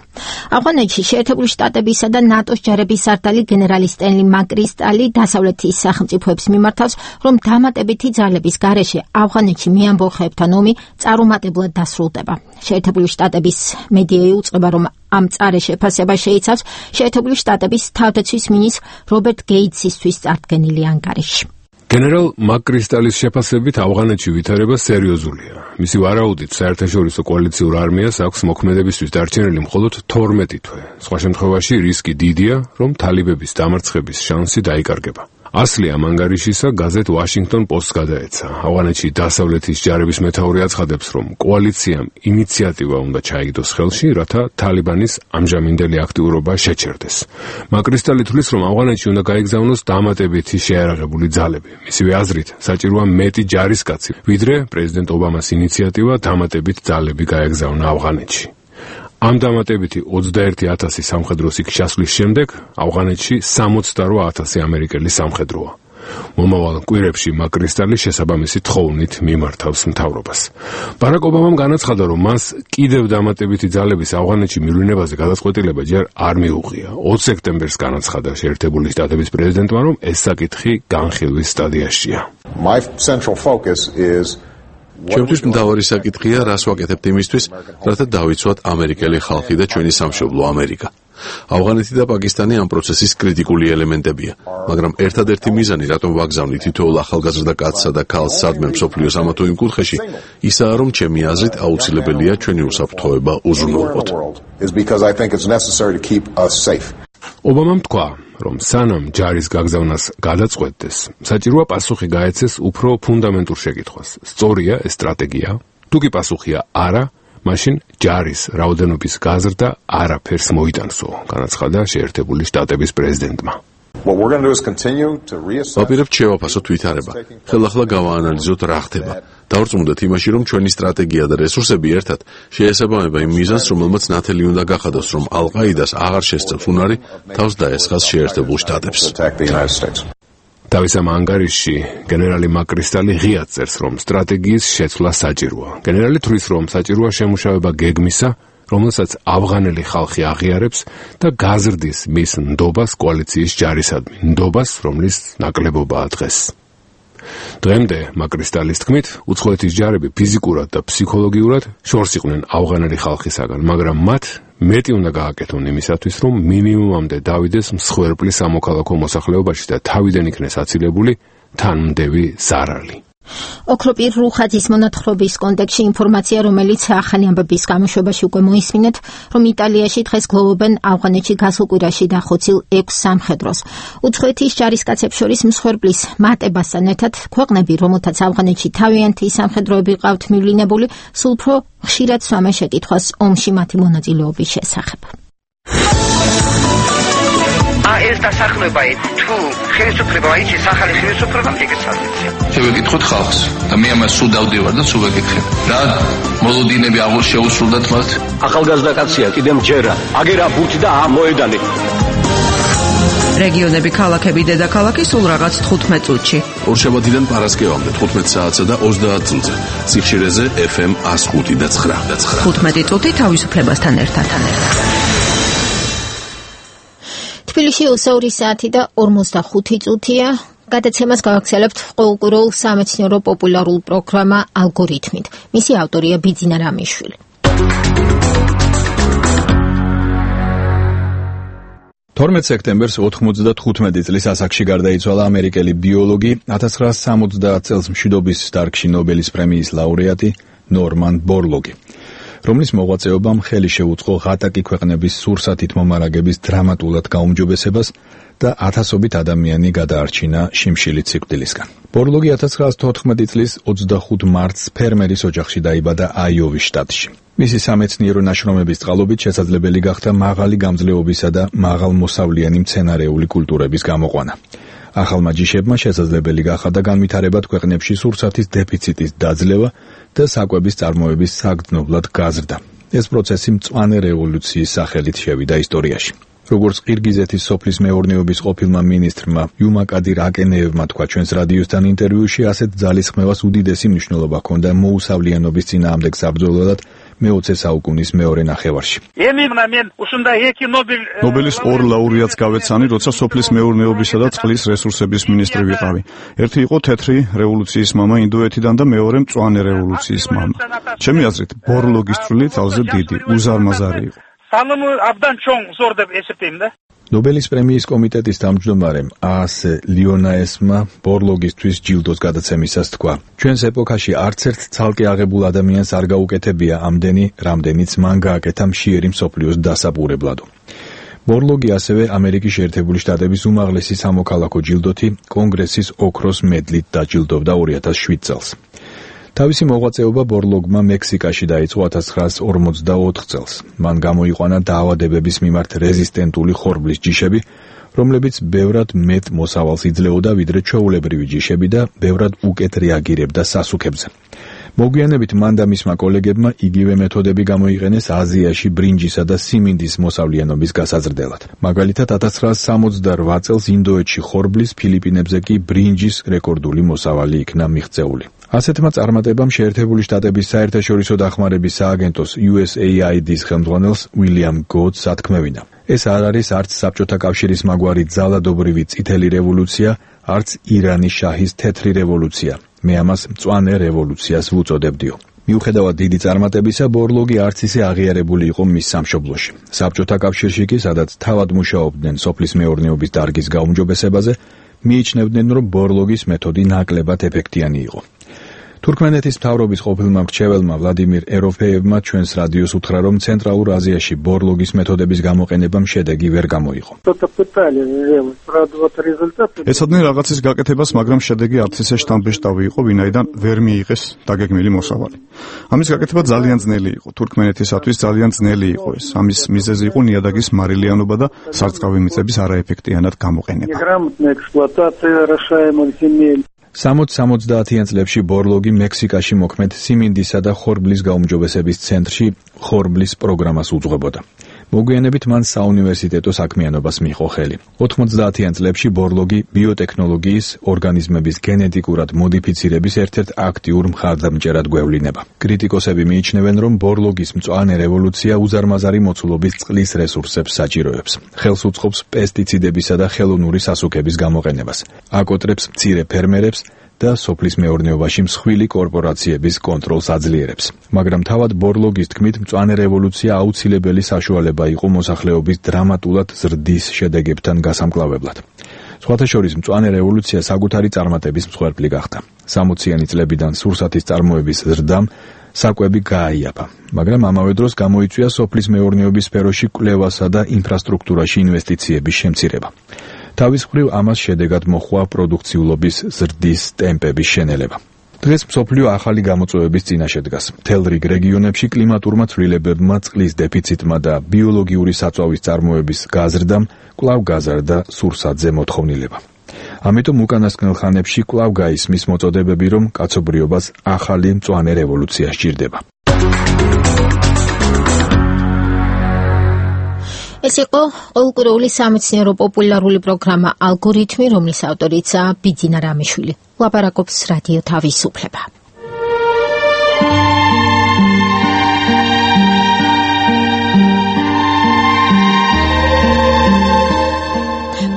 ავღანეთში შეერთებული შტატებისა და ნატოს ჯარების სარდალი გენერალი სტენლი მაკრისტალი დასავლეთის სახელმწიფოებს მიმართავს, რომ დამატებითი ძალების გარეშე ავღანეთში მეამბოხეებთან ომი წარუმატებლად დასრულდება. შეერთებული შტატების მედია იუწყება, რომ ამ წარე შეფასება შეიცავს შეერთებული შტატების თავდაცვის მინისტრ რობერტ გეიტსისთვის წარდგენილი ანგარიში. გენერალ მაკრისტალის შეფასებით ავღანეთში ვითარება სერიოზულია. მისი ვარაუდით საერთაშორისო კოალიციურ არმიას აქვს მოქმედებისთვის დარჩენილი მხოლოდ თორმეტი თვე. სხვა შემთხვევაში რისკი დიდია, რომ თალიბების დამარცხების შანსი დაიკარგება. ასლი ამ ანგარიშისა გაზეთ Washington Post-ს გადაეცა. ავღანეთში დასავლეთის ჯარების მეთაური აცხადებს, რომ კოალიციამ ინიციატივა უნდა ჩაიგდოს ხელში, რათა თალიბანის ამჟამინდელი აქტიურობა შეჩერდეს. მაკრისტალი თვლის, რომ ავღანეთში უნდა გაიგზავნოს დამატებითი შეიარაღებული ძალები. მისივე აზრით, საჭიროა მეტი ჯარისკაცი, ვიდრე პრეზიდენტ ობამას ინიციატივა დამატებით ძალები გაეგზავნა ავღანეთში. ამ დამატებითი ოცდაერთი ათასი სამხედრო სიქს ჩასვლის შემდეგ ავღანეთში სამოცდაორი ათასი ამერიკელი სამხედროა. მომავალ კვირებში მაკრისტალი შესაბამისი თხოვნით მიმართავს მთავრობას. ბარაკ ობამამ განაცხადა, რომ მას კიდევ დამატებითი ძალების ავღანეთში მივლინებაზე გადაწყვეტილება ჯერ არ მიუღია. ოცი სექტემბერს განაცხადა შეერთებული შტატების პრეზიდენტმა, რომ ეს საკითხი განხილვის სტადიაშია. My central focus is ჩემთვის მთავარი საკითხია, რას ვაკეთებთ იმისთვის, რათა დავიცვათ ამერიკელი ხალხი და ჩვენი სამშობლო ამერიკა. ავღანეთი და პაკისტანი ამ პროცესის კრიტიკული ელემენტებია, მაგრამ ერთადერთი მიზანი, რატომ ვაგზავნი თითოეულ ახალგაზრდა კაცსა და ქალს სადმე მსოფლიოს ამა თუ იმ კუთხეში, ისაა, რომ ჩემი აზრით აუცილებელია ჩვენი უსაფრთხოება უზრუნველყოთ. ობამამ თქვა, რომ სანამ ჯარის გაგზავნას გადაწყვეტდეს, საჭიროა პასუხი გაეცეს უფრო ფუნდამენტურ შეკითხვას. სწორია ეს სტრატეგია? თუ კი პასუხია არა, მაშინ ჯარის რაოდენობის გაზრდა არაფერს მოიტანსო, განაცხადა შეერთებული შტატების პრეზიდენტმა. ვაპირებთ შევაფასოთ ვითარება. ხელახლა გავაანალიზოთ რა ხდება. დავრწმუნდეთ იმაში, რომ ჩვენი სტრატეგია და რესურსები ერთად შეესაბამება იმ მიზანს, რომელმაც ნათელი უნდა გახადოს, რომ ალ-ყაიდას აღარ შესწევს უნარი თავს დაესხას შეერთებულ შტატებს. თავის ამ ანგარიშში გენერალი მაკრისტალი ღიად წერს, რომ სტრატეგიის შეცვლა საჭიროა. გენერალი თვლის, რომ საჭიროა შემუშავება გეგმისა, რომელსაც ავღანელი ხალხი აღიარებს და გაზრდის მის ნდობას კოალიციის ჯარისადმი, ნდობას, რომლის ნაკლებობაა დღეს. დღემდე მაკრისტალის თქმით, უცხოეთის ჯარები ფიზიკურად და ფსიქოლოგიურად შორს იყვნენ ავღანელი ხალხისაგან, მაგრამ მათ მეტი უნდა გააკეთონ იმისათვის, რომ მინიმუმამდე დავიდეს მსხვერპლის სამოქალაქო მოსახლეობაში და თავიდან იქნეს აცილებული თანმდევი ზარალი. ოქროპირ რუხაძის მონათხრობის კონტექსტში ინფორმაცია, რომელიც ახალი ამბების გამოშვებაში უკვე მოისმინეთ, რომ იტალიაში დღეს გლოვობენ ავღანეთში გასულ კვირაში დახოცილ ექვს სამხედროს. უცხოეთის ჯარისკაცებს შორის მსხვერპლის მატებასთან ერთად ქვეყნები, რომელთაც ავღანეთში თავიანთი სამხედროები ყავთ მივლინებული, სულ უფრო ხშირად სვამენ შეკითხვას ომში მათი მონაწილეობის შესახებ. ეს დასახლება თუ ხელისუფლება აიჩის ახალი ხელისუფლება მიგეცადეთ. შევეკითხოთ ხალხს და მე ამას სულ დავდივარ და სულ ვეკითხებ. რა მოლოდინები აღარ შეუსრულდათ მათ? ახალგაზრდა კაცია, კიდემ ჯერა, აგერა ბუთი და ამოედანი. რეგიონები, ქალაქები, დედაქალაქი სულ რაღაც თხუთმეტ წუთში. ორშაბათიდან პარასკევამდე თხუთმეტ საათსა და ოცდაათ წუთზე. სიხშირეზე ეფ ემ ას ხუთი და ცხრა. თხუთმეტი წუთი თავისუფლებასთან ერთად. თბილისში ოცდაორი საათი და ორმოცდახუთი წუთია. გადაცემას გავაგზავნებთ ყოველკვირეულ სამეცნიერო პოპულარულ პროგრამა ალგორითმით. მისი ავტორია ბიძინა რამიშვილი. თორმეტ სექტემბერს ოთხმოცდათხუთმეტი წლის ასაკში გარდაიცვალა ამერიკელი ბიოლოგი, ათას ცხრაასა სამოცდაათ წელს მშვიდობის დარგში ნობელის პრემიის ლაურეატი ნორმან ბორლოგი, რომლის მოღვაწეობამ ხელი შეუწყო ღატაკი ქვეყნების სურსათით მომარაგების დრამატულად გაუმჯობესებას და ათასობით ადამიანი გადაარჩინა შიმშილით სიკვდილისგან. ბორლოგი ათას ცხრაასა თოთხმეტი წლის ოცდახუთ მარტს ფერმერის ოჯახში დაიბადა აიოვის შტატში. მისი სამეცნიერო ნაშრომების წყალობით შესაძლებელი გახდა მაღალი გამძლეობისა და მაღალმოსავლიანი მცენარეული კულტურების გამოყვანა. ახალმა ჯიშებმა შესაძლებელი გახადა განვითარებად ქვეყნებში სურსათის დეფიციტის დაძლევა და საკვების წარმოების საგრძნობლად გაზრდა. ეს პროცესი მწვანე რევოლუციის სახელით შევიდა ისტორიაში. როგორც ყირგიზეთის სოფლის მეურნეობის ყოფილმა მინისტრმა იუმაკადირ აკენეევმა თქვა ჩვენს რადიოსთან ინტერვიუში, ასეთ ძალისხმევას უდიდესი მნიშვნელობა ჰქონდა მოუსავლიანობის წინააღმდეგ საბრძოლველად მეოცე საუკუნის მეორე ნახევარში. ნობელის ორ ლაურეატს გავეცანი, როცა სოფლის მეურნეობისა და წყლის რესურსების მინისტრი ვიყავი. ერთი იყო თეთრი რევოლუციის მამა ინდოეთიდან და მეორე მწვანე რევოლუციის მამა. ჩემი აზრით, ბორლოგის წვლილი თავზე დიდი, უზარმაზარი იყო. ნობელის პრემიის კომიტეტის თავმჯდომარემ აას ლიონაესმა ბორლოგისთვის ჯილდოს გადაცემისას თქვა: ჩვენს ეპოქაში არც ერთ ცალკე აღებულ ადამიანს არ გაუკეთებია ამდენი, რამდენიც მან გააკეთა მშიერი მსოფლიოს დასაბურებლადო. ბორლოგი ასევე ამერიკის შეერთებული შტატების უმაღლესი სამოქალაქო ჯილდოთი კონგრესის ოქროს მედლით დაჯილდოვდა ორი ათას შვიდ წელს. თავისი მოღვაწეობა ბორლოგმა მექსიკაში დაიწყო ათას ცხრაასა ორმოცდაოთხ წელს. მან გამოიყვანა დაავადებების მიმართ რეზისტენტული ხორბლის ჯიშები, რომლებიც ბევრად მეტ მოსავალს იძლეოდა ვიდრე ჩვეულებრივი ჯიშები და ბევრად უკეთ რეაგირებდა სასუქებზე. მოგვიანებით მან და მისმა კოლეგებმა იგივე მეთოდები გამოიყენეს აზიაში ბრინჯისა და სიმინდის მოსავლიანობის გასაზრდელად. მაგალითად ათას ცხრაასა სამოცდარვა წელს ინდოეთში ხორბლის, ფილიპინებზე კი ბრინჯის რეკორდული მოსავალი იქნა მიღწეული. ასეთმა წარმატებამ შეერთებული შტატების საერთაშორისო დახმარების სააგენტოს იუ ეს ეი აი დის ხელმძღვანელს უილიამ გოდს ათქმევინა: ეს არ არის არც საბჭოთა კავშირის მაგვარი ძალადობრივი წითელი რევოლუცია, არც ირანის შაჰის თეთრი რევოლუცია. მე ამას მწვანე რევოლუციას ვუწოდებდიო. მიუხედავად დიდი წარმატებისა, ბორლოგი არც ისე აღიარებული იყო მის სამშობლოში. საბჭოთა კავშირში კი, სადაც თავად მუშაობდნენ სოფლის მეურნეობის დარგის გაუმჯობესებაზე, მიიჩნევდნენ, რომ ბორლოგის მეთოდი ნაკლებად ეფექტიანი იყო. თურქმენეთის მთავრობის ყოფილმა მრჩეველმა ვლადიმირ ეროფეევმა ჩვენს რადიოს უთხრა, რომ ცენტრალურ აზიაში ბორლოგის მეთოდების გამოყენებამ შედეგი ვერ გამოიღო. ეცოდნენ რაღაცის გაკეთებას, მაგრამ შედეგი არც ისე შთამბეჭდავი იყო, ვინაიდან ვერ მიიღეს დაგეგმილი მოსავალი. ამის გაკეთება ძალიან ძნელი იყო. თურქმენეთისათვის ძალიან ძნელი იყო ეს. ამის მიზეზი იყო ნიადაგის მარილიანობა და სარწყავი მიწების არაეფექტიანად გამოყენება. სამოც-სამოცდაათიან წლებში ბორლოგი მექსიკაში მოქმედ სიმინდისა და ხორბლის გაუმჯობესების ცენტრში ხორბლის პროგრამას უძღვებოდა. მოგვიანებით მან საუნივერსიტეტო საქმიანობას მიიღო ხელი. ოთხმოცდაათიან წლებში ბორლოგი ბიოტექნოლოგიის, ორგანიზმების გენეტიკურად მოდიფიცირების ერთ-ერთ აქტიურ მხარდამჭერად გვევლინება. კრიტიკოსები მიიჩნევენ, რომ ბორლოგის მწვანე რევოლუცია უზარმაზარი მოცულობის წყლის რესურსებს საჭიროებს. ხელს უწყობს პესტიციდებისა და ხელოვნური სასუქების გამოყენებას. აკოტრებს მცირე ფერმერებს და სოფლის მეურნეობაში მსხვილი კორპორაციების კონტროლს აძლიერებს. მაგრამ თავად ბორლოგის თქმით, მწვანე რევოლუცია აუცილებელი საშუალება იყო მოსახლეობის დრამატულად ზრდის შედეგებთან გასამკლავებლად. სხვათა შორის მწვანე რევოლუცია საკუთარი წარმატების მსხვერპლი გახდა. სამოციანი წლებიდან სურსათის წარმოების ზრდამ საკვები გააიაფა, მაგრამ ამავე დროს გამოიწვია სოფლის მეურნეობის სფეროში კვლევასა და ინფრასტრუქტურაში ინვესტიციების შემცირება. თავის მხრივ ამას შედეგად მოჰყვა პროდუქციულობის ზრდის ტემპების შენელება. დღეს მსოფლიო ახალი გამოწვევების წინაშე დგას. მთელ რიგ რეგიონებში კლიმატურმა ცვლილებებმა, წყლის დეფიციტმა და ბიოლოგიური საწვავის წარმოების გაზრდამ კვლავ გაზარდა სურსათზე მოთხოვნილება. ამიტომ უკანასკნელ ხანებში კვლავ გაისმის მოწოდებები, რომ კაცობრიობას ახალი მწვანე რევოლუცია სჭირდება. ეს იყო ყოველკვირეული სამეცნიერო პოპულარული პროგრამა ალგორითმი, რომლის ავტორიცაა ბიძინა რამიშვილი. ლაპარაკობს რადიო თავისუფლება.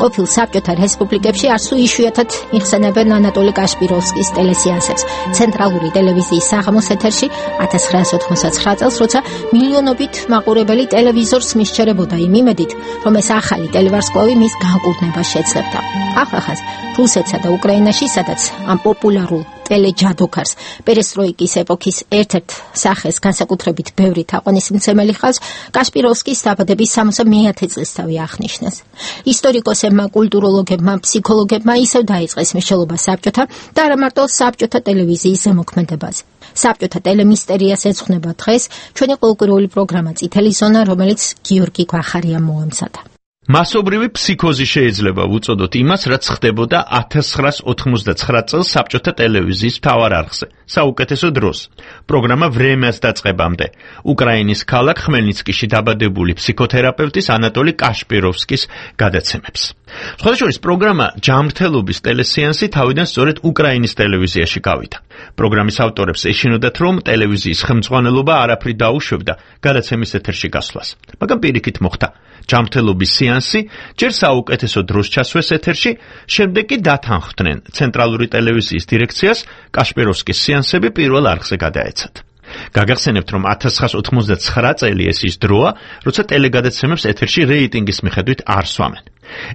ყოფილ საბჭოთა რესპუბლიკებში არც თუ იშვიათად იხსენებენ ანატოლი კაშპიროვსკის ტელესეანსებს. ცენტრალური ტელევიზიის საღამოს ეთერში ათას ცხრაასი ოთხმოცდაცხრა წელს, როცა მილიონობით მაყურებელი ტელევიზორს მისჩერებოდა იმ იმედით, რომ ეს ახალი ტელევარსკვლავი მის განკურნებას შეძლებდა. ახახას რუსეთსა და უკრაინაში, სადაც ამ პოპულარულ ტელეჯადოქარს პერესტროიკის ეპოქის ერთ-ერთ სახეს განსაკუთრებით ბევრი თაყვანისმცემელი ხავს, კაშპიროვსკის დაბადების სამოცდამეათე წლისთავი აღნიშნეს. ისტორიკოსებმა, კულტუროლოგებმა, ფსიქოლოგებმა ისევ დაიწყეს მნიშვნელობა საბჭოთა და არა მარტო საბჭოთა ტელევიზიის ზემოქმედებაზე. საბჭოთა ტელემისტერიას ეძღვნება დღეს ჩვენი ყოველკვირეული პროგრამა წითელი ზონა, რომელიც გიორგი გვახარიამ მოამზადა. მასობრივი ფსიქოზი შეიძლება ვუწოდოთ იმას, რაც ხდებოდა ათას ცხრაასი ოთხმოცდაცხრა წელს საბჭოთა ტელევიზიის მთავარ არხზე, საუკეთესო დროს. პროგრამა ვრემიას დაწყებამდე უკრაინის ქალაქ ხმელნიცკიში დაბადებული ფსიქოთერაპევტის ანატოლი კაშპიროვსკის გადაცემებს. სხვათა შორის პროგრამა ჯანმრთელობის ტელესეანსი თავიდან სწორედ უკრაინის ტელევიზიაში გავიდა. პროგრამის ავტორებს ეშინოდათ, რომ ტელევიზიის ხელმძღვანელობა არაფრით დაუშვებდა გადაცემის ეთერში გასვლას, მაგრამ პირიქით მოხდა. ჯანმრთელობის სეანსი ჯერ საუკეთესო დროს ჩასვეს ეთერში, შემდეგ კი დათანხმდნენ ცენტრალური ტელევიზიის დირექციას კაშპიროვსკის სეანსები პირველ არხზე გადაეცათ. გაგახსენებთ, რომ ათას ცხრაასი ოცდაათი წელი ეს ის დროა, როცა ტელეგადაცემებს ეთერში რეიტინგის მიხედვით არ სვამენ.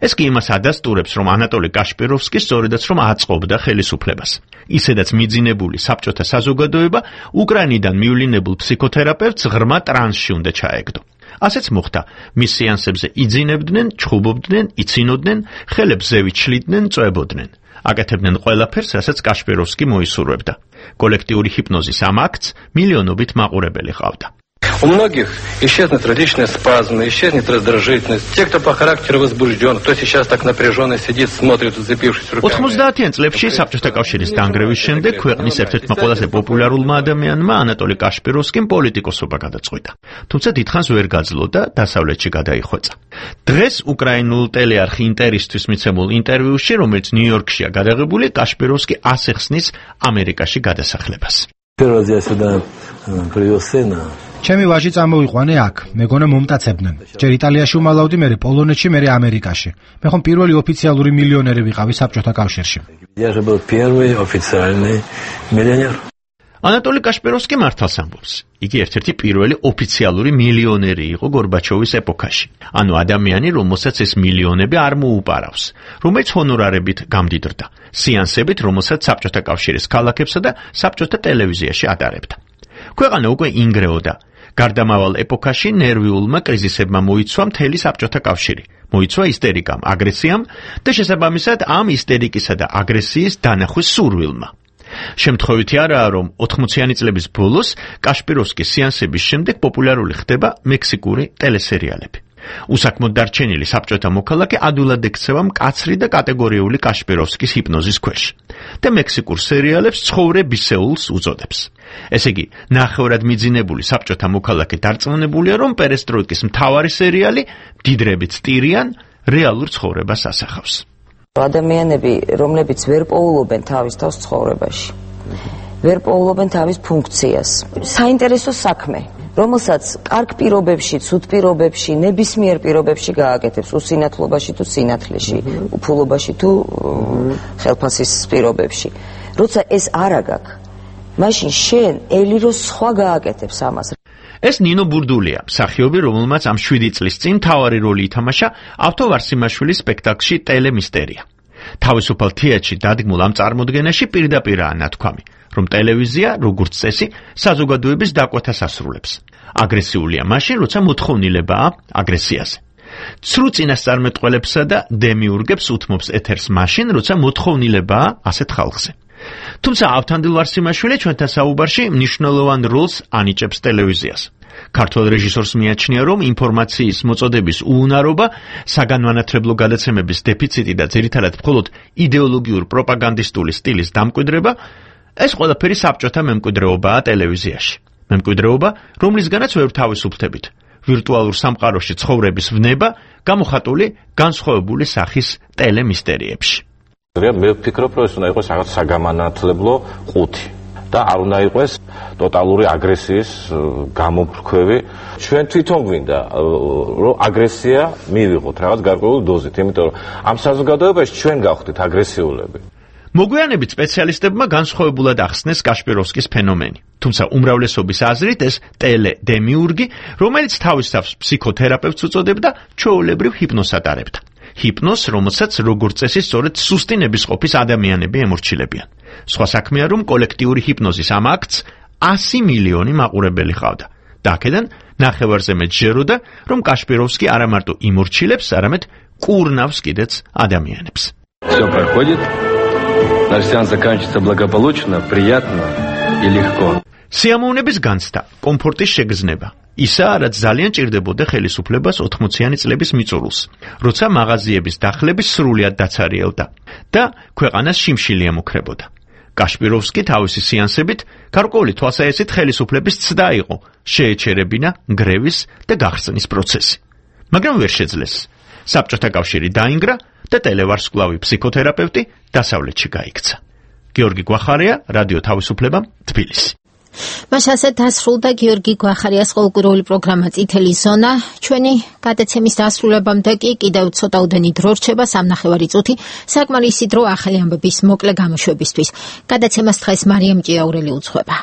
ეს კი იმას ადასტურებს, რომ ანატოლი კაშპიროვსკი სწორედაც რომ აწყობდა ხელისუფლებას. ისედაც მიძინებული საბჭოთა საზოგადოება უკრაინიდან მივლინებულ ფსიქოთერაპევტს ღრმა ტრანსში უნდა ჩაეგდო. ასეც მოხდა. მის სეანსებზე იძინებდნენ, ჩხუბობდნენ, იცინოდნენ, ხელებს ზევით შლიდნენ, წვებოდნენ. აკეთებდნენ ყველაფერს, რასაც კაშპიროვსკი მოისურვებდა. კოლექტიური ჰიპნოზის ამ აქტს მილიონობით მაყურებელი ყავდა. У многих исчезнут различные спазмы, исчезнет раздражительность. Те, кто по характеру возбужден, кто сейчас так напряженно сидит, смотрит, зацепившись руками. ოთხმოცდაათიან წლებში საბჭოთა კავშირის დანგრევის შემდეგ ქვეყნის ერთ-ერთმა ყველაზე პოპულარულმა ადამიანმა ანატოლი კაშპიროვსკიმ პოლიტიკოსობა გადაწყვიტა. თუმცა დიდხანს ვერ გაძლო და დასავლეთში გადაიხვეწა. დღეს უკრაინულ ტელეარხი ინტერისთვის მიცემულ ინტერვიუში, რომელიც ნიუ-იორკშია გადაღებული, კაშპიროვსკი ასახსნის ამერიკაში გადასახლებას. Первый раз я сюда привез сына. ჩემი ვაჟი წამოვიყვანე აქ, მეგონა მომტაცებდნენ. ჯერ იტალიაში უმალავდი, მერე პოლონეთში, მერე ამერიკაში. მე ხომ პირველი ოფიციალური მილიონერი ვიყავი საბჭოთა კავშირში. Я же был первый официальный миллионер. ანატოლი კაშპიროვსკი მართალს ამბობს. იგი ერთ-ერთი პირველი ოფიციალური მილიონერი იყო გორბაჩოვის ეპოქაში. ანუ ადამიანი, რომელსაც ეს მილიონები არ მოუპარავს, რომელიც ჰონორარებით გამდიდრდა, სეანსებით, რომელსაც საბჭოთა კავშირის ქალაქებსა და საბჭოთა ტელევიზიაში ატარებდა. ქვეყანა უკვე ინგრეოდა. გარდამავალ ეპოქაში ნერვიულმა კრიზისებმა მოიცვა მთელი საბჭოთა კავშირი. მოიცვა ისტერიკამ, აგრესიამ და შესაბამისად ამ ისტერიკისა და აგრესიის დანახვის სურვილმა. შემთხვევითი არაა, რომ ოთხმოციანი წლების ბოლოს კაშპიროვსკის სეანსების შემდეგ პოპულარული ხდება მექსიკური ტელესერიალები. უსაქმოდ დარჩენილი საბჭოთა მოქალაქე ადვილად ექცევა მკაცრი და კატეგორიული კაშპიროვსკის ჰიპნოზის ქვეშ და მექსიკურ სერიალებს ცხოვრებისეულს უწოდებს. ესე იგი, ნახევრად მიძინებული საბჭოთა მოქალაქე დარწმუნებულია, რომ პერესტროიკის მთავარი სერიალი მდიდრებით სტირიან რეალურ ცხოვრებას ასახავს. ადამიანები, რომლებიც ვერ პოულობენ თავის თავს ცხოვრებაში, ვერ პოულობენ თავის ფუნქციას. საინტერესო საქმე, რომელსაც კარგ პირობებში, ცუდ პირობებში, ნებისმიერ პირობებში გააკეთებს, უსინათლობაში თუ სინათლეში, უფულობაში თუ ხელფასის პირობებში. როცა ეს არ აგაქვს, მაშინ შენ ელიროს სხვა გააკეთებს ამას. ეს ნინო ბურდულია, მსახიობი, რომელმაც ამ შვიდი წლის წინ მთავარი როლი ითამაშა ავთო ვარსიმაშვილის სპექტაკლში ტელემისტერია. თავისუფალ თეატრში დადგმულ ამ წარმოდგენაში პირდაპირაა ნათქვამი, რომ ტელევიზია, როგორც წესი, საზოგადოების დაკვეთას ასრულებს. აგრესიულია მაშინ, როცა მოთხოვნილებაა აგრესიაზე. ცრუ წინასწარმეტყველებსა და დემიურგებს უთმობს ეთერს მაშინ, როცა მოთხოვნილებაა ასეთ ხალხზე. თუმცა ავთანდილ ვარსიმაშვილი ჩვენთან საუბარში მნიშვნელოვან როლს ანიჭებს ტელევიზიას. ქართველ რეჟისორს მიაჩნია, რომ ინფორმაციის მოწოდების უუნარობა, საგანმანათლებლო გადაცემების დეფიციტი და ძირითადად მხოლოდ იდეოლოგიურ პროპაგანდისტული სტილის დამკვიდრება, ეს ყველაფერი საბჭოთა მემკვიდრეობაა ტელევიზიაში. მემკვიდრეობა, რომლისგანაც ვერ თავისუფლდებით. ვირტუალურ სამყაროში ცხოვრების ვნება გამოხატული განსხვავებული სახის ტელემისტერიებში. მე ვფიქრობ, რომ ეს უნდა იყოს რაღაც საგამანათლებლო ყუთი და არ უნდა იყოს ტოტალური აგრესიის გამოფრქვევი. ჩვენ თვითონ გვინდა რომ აგრესია მივიღოთ რაღაც გარკვეული დოზით, იმიტომ რომ ამ საზოგადოებაში ჩვენ გავხდით აგრესიულები. მოგვიანებით სპეციალისტებმა განსხვავებულად ახსნეს კაშპიროვსკის ფენომენი. თუმცა უმრავლესობის აზრით ეს ტელე-დემიურგი, რომელიც თავის თავს ფსიქოთერაპევტს უწოდებდა, ჩვეულებრივ ჰიპნოზს ატარებდა. ჰიპნოზს, რომელსაც როგორც წესი სწორედ სუსტი ნებისყოფის ადამიანები ემორჩილებიან. სხვა საქმეა, რომ კოლექტიური ჰიპნოზის ამ აქტს ასი მილიონი მაყურებელი ჰყავდა. და აქედან ნახევარზე მეტ ჯეროდა, რომ კაშპიროვსკი არა მარტო იმორჩილებს, არამედ კურნავს კიდეც ადამიანებს. Всё проходит. Наш сеанс заканчивается благополучно, приятно и легко. სიამოვნების განცდა, კომფორტის შეგრძნება. ისაა, რაც ძალიან ჭირდებოდა ხელისუფლებას ოთხმოციანი წლების მიწურულს, როცა მაღაზიების დახლები სრულად დაცარიელდა და ქვეყანას შიმშილი ემუქრებოდა. კაშპიროვსკი თავისი სეანსებით გარკვეული თვალსაჩინო ხელისუფლების ცდა იყო, შეეჩერებინა გრევის და გახსნის პროცესი. მაგრამ ვერ შეძლეს. საბჭოთა კავშირი დაინგრა და ტელევარსკვლავი ფსიქოთერაპევტი დასავლეთში გაიქცა. გიორგი გვახარია, რადიო თავისუფლება, თბილისი. მას ასე დასრულდა გიორგი გვახარიას ყოველკვირეული პროგრამა წითელი ზონა. ჩვენი გადაცემის დასრულებამდე კი კიდევ ცოტაუდენი დრო რჩება, სამნახევარი წუთი, საკმარისი დრო ახალი ამბების მოკლე გამოშვებისთვის. გადაცემას დღეს მარიამ ჭიაურელი უძღვება.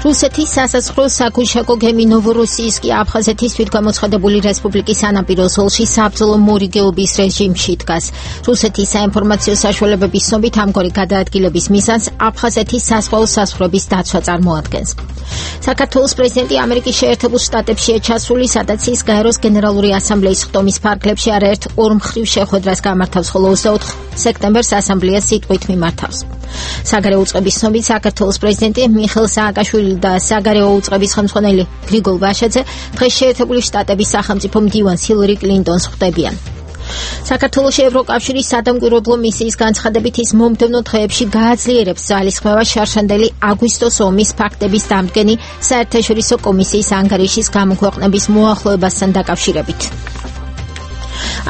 რუსეთის სასაზღვრო საკუშაკო გემი ნოვოროსიისკი აფხაზეთის თვითგამოცხადებული რესპუბლიკის სანაპირო ზოლში საბრძოლო მორიგეობის რეჟიმში დგას. რუსეთის საინფორმაციო საშუალებების ცნობით ამგვარი გადაადგილების მიზანს აფხაზეთის საზღვაო საზღვრების დაცვა წარმოადგენს. საქართველოს პრეზიდენტი ამერიკის შეერთებულ შტატებშია ჩასული, სადაც ის გაეროს გენერალური ასამბლეის ხტომის ფარგლებში არაერთ ორმხრივ შეხვედრას გამართავს, ხოლო ოცდაოთხ სექტემბერს ასამბლეას სიტყვით მიმართავს. საგარეო უწყების ცნობით საქართველოს პრეზიდენტი მიხეილ სააკაშვილი და საგარეო უწყების ხელმძღვანელი გრიგოლ ვაშაძე დღეს შეერთებული შტატების სახელმწიფო მდივანს ჰილარი კლინტონს ხვდებიან. საქართველოში ევროკავშირის სადამკვირვებლო მისიის განცხადებით ის მომდევნო დღეებში გააძლიერებს ძალისხმევას შარშანდელი აგვისტოს ომის ფაქტების დამდგენი საერთაშორისო კომისიის ანგარიშის გამოქვეყნების მოახლოებასთან დაკავშირებით.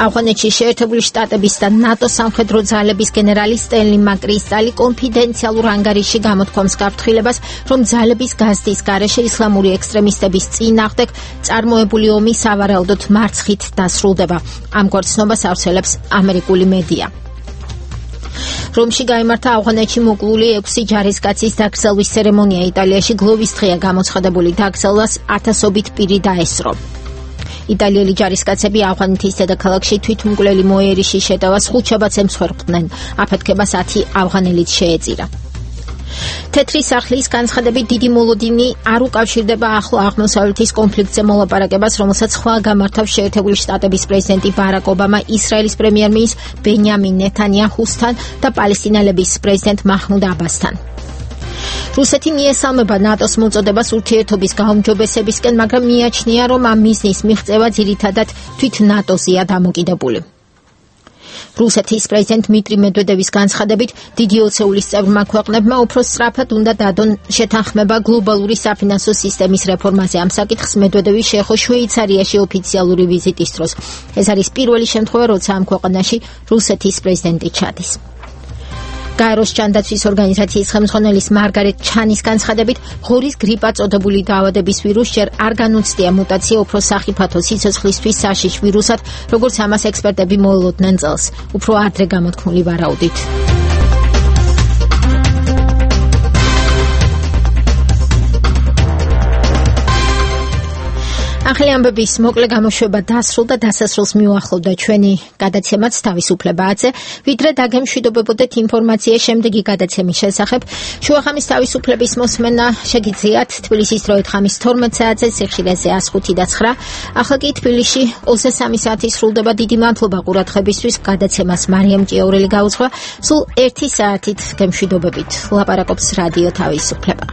ავღანეთში შეერთებული შტატების და ნატოს სამხედრო ძალების გენერალი სტენლი მაკრისტალი კონფიდენციალურ ანგარიშში გამოთქვამს გაფრთხილებას, რომ ძალების გაზრდის გარეშე ისლამური ექსტრემისტების წინააღმდეგ წარმოებული ომი სავარაუდოდ მარცხით დასრულდება. ამგვარ ცნობას ავრცელებს ამერიკული მედია. რომში გაიმართა ავღანეთში მოკლული ექვსი ჯარისკაცის დაკრძალვის ცერემონია. იტალიაში გლოვის დღეა გამოცხადებული, დაკრძალვას ათასობით პირი დაესწრო. იტალიელი ჯარისკაცები ავღანეთის დედაქალაქში თვითმკვლელი მოერიშის შეტევას ხუთშაბათს ემსხვერპლდნენ. აფეთქებას ათი ავღანელიც შეეწირა. თეთრი სახლის განცხადებით დიდი მოლოდინი არ უკავშირდება ახლო აღმოსავლეთის კონფლიქტზე მოლაპარაკებას, რომელსაც ხვალ გამართავს შეერთებული შტატების პრეზიდენტი ბარაკ ობამა ისრაელის პრემიერ-მინისტრ ბენიამინ ნეთანიაჰუსთან და პალესტინელების პრეზიდენტ მაჰმუდ აბასთან. რუსეთი მიესალმება ნატოს მოწოდებას ურთიერთობის გაუმჯობესებისკენ, მაგრამ მიაჩნია, რომ ამ მიზნის მიღწევა ძირითადად თვით ნატოზეა დამოკიდებული. რუსეთის პრეზიდენტ დმიტრი მედვედევის განცხადებით, დიდი ოცეულის წევრმა ქვეყნებმა უფრო სწრაფად უნდა დადონ შეთანხმება გლობალური საფინანსო სისტემის რეფორმაზე. ამ საკითხს მედვედევი შეეხო შვეიცარიაში ოფიციალური ვიზიტის დროს. ეს არის პირველი შემთხვევა, როცა ამ ქვეყანაში რუსეთის პრეზიდენტი ჩადის. გაეროს ჯანდაცვის ორგანიზაციის ხელმძღვანელის მარგარეტ ჩანის განცხადებით, ღორის გრიპა წოდებული დაავადების ვირუსს ჯერ არ განუცდია მუტაცია უფრო სახიფათო სიცოცხლისთვის საშიშ ვირუსად, როგორც ამას ექსპერტები მოელოდნენ წელს, უფრო ადრე გამოთქმული ვარაუდით. ახალი ამბების მოკლე გამოშვება დასრულდა, დასასრულს მიუახლოვდა ჩვენი გადაცემაც თავისუფლებაზე, ვიდრე დაგემშვიდობებოდეთ ინფორმაცია შემდეგი გადაცემის შესახებ. შუახამის თავისუფლების მოსმენა შეგიძლიათ თბილისის დროით ხამის თორმეტ საათზე, სიხშირეზე ას ხუთი და ცხრა. ახლა კი თბილისში ოცდაოთხ საათი სრულდება. დიდი მადლობა ყურადღებისთვის. გადაცემას მარიამ ჭიაურელი გაუძღვა. სულ ერთი საათით გემშვიდობებით. ლაპარაკობს რადიო თავისუფლება.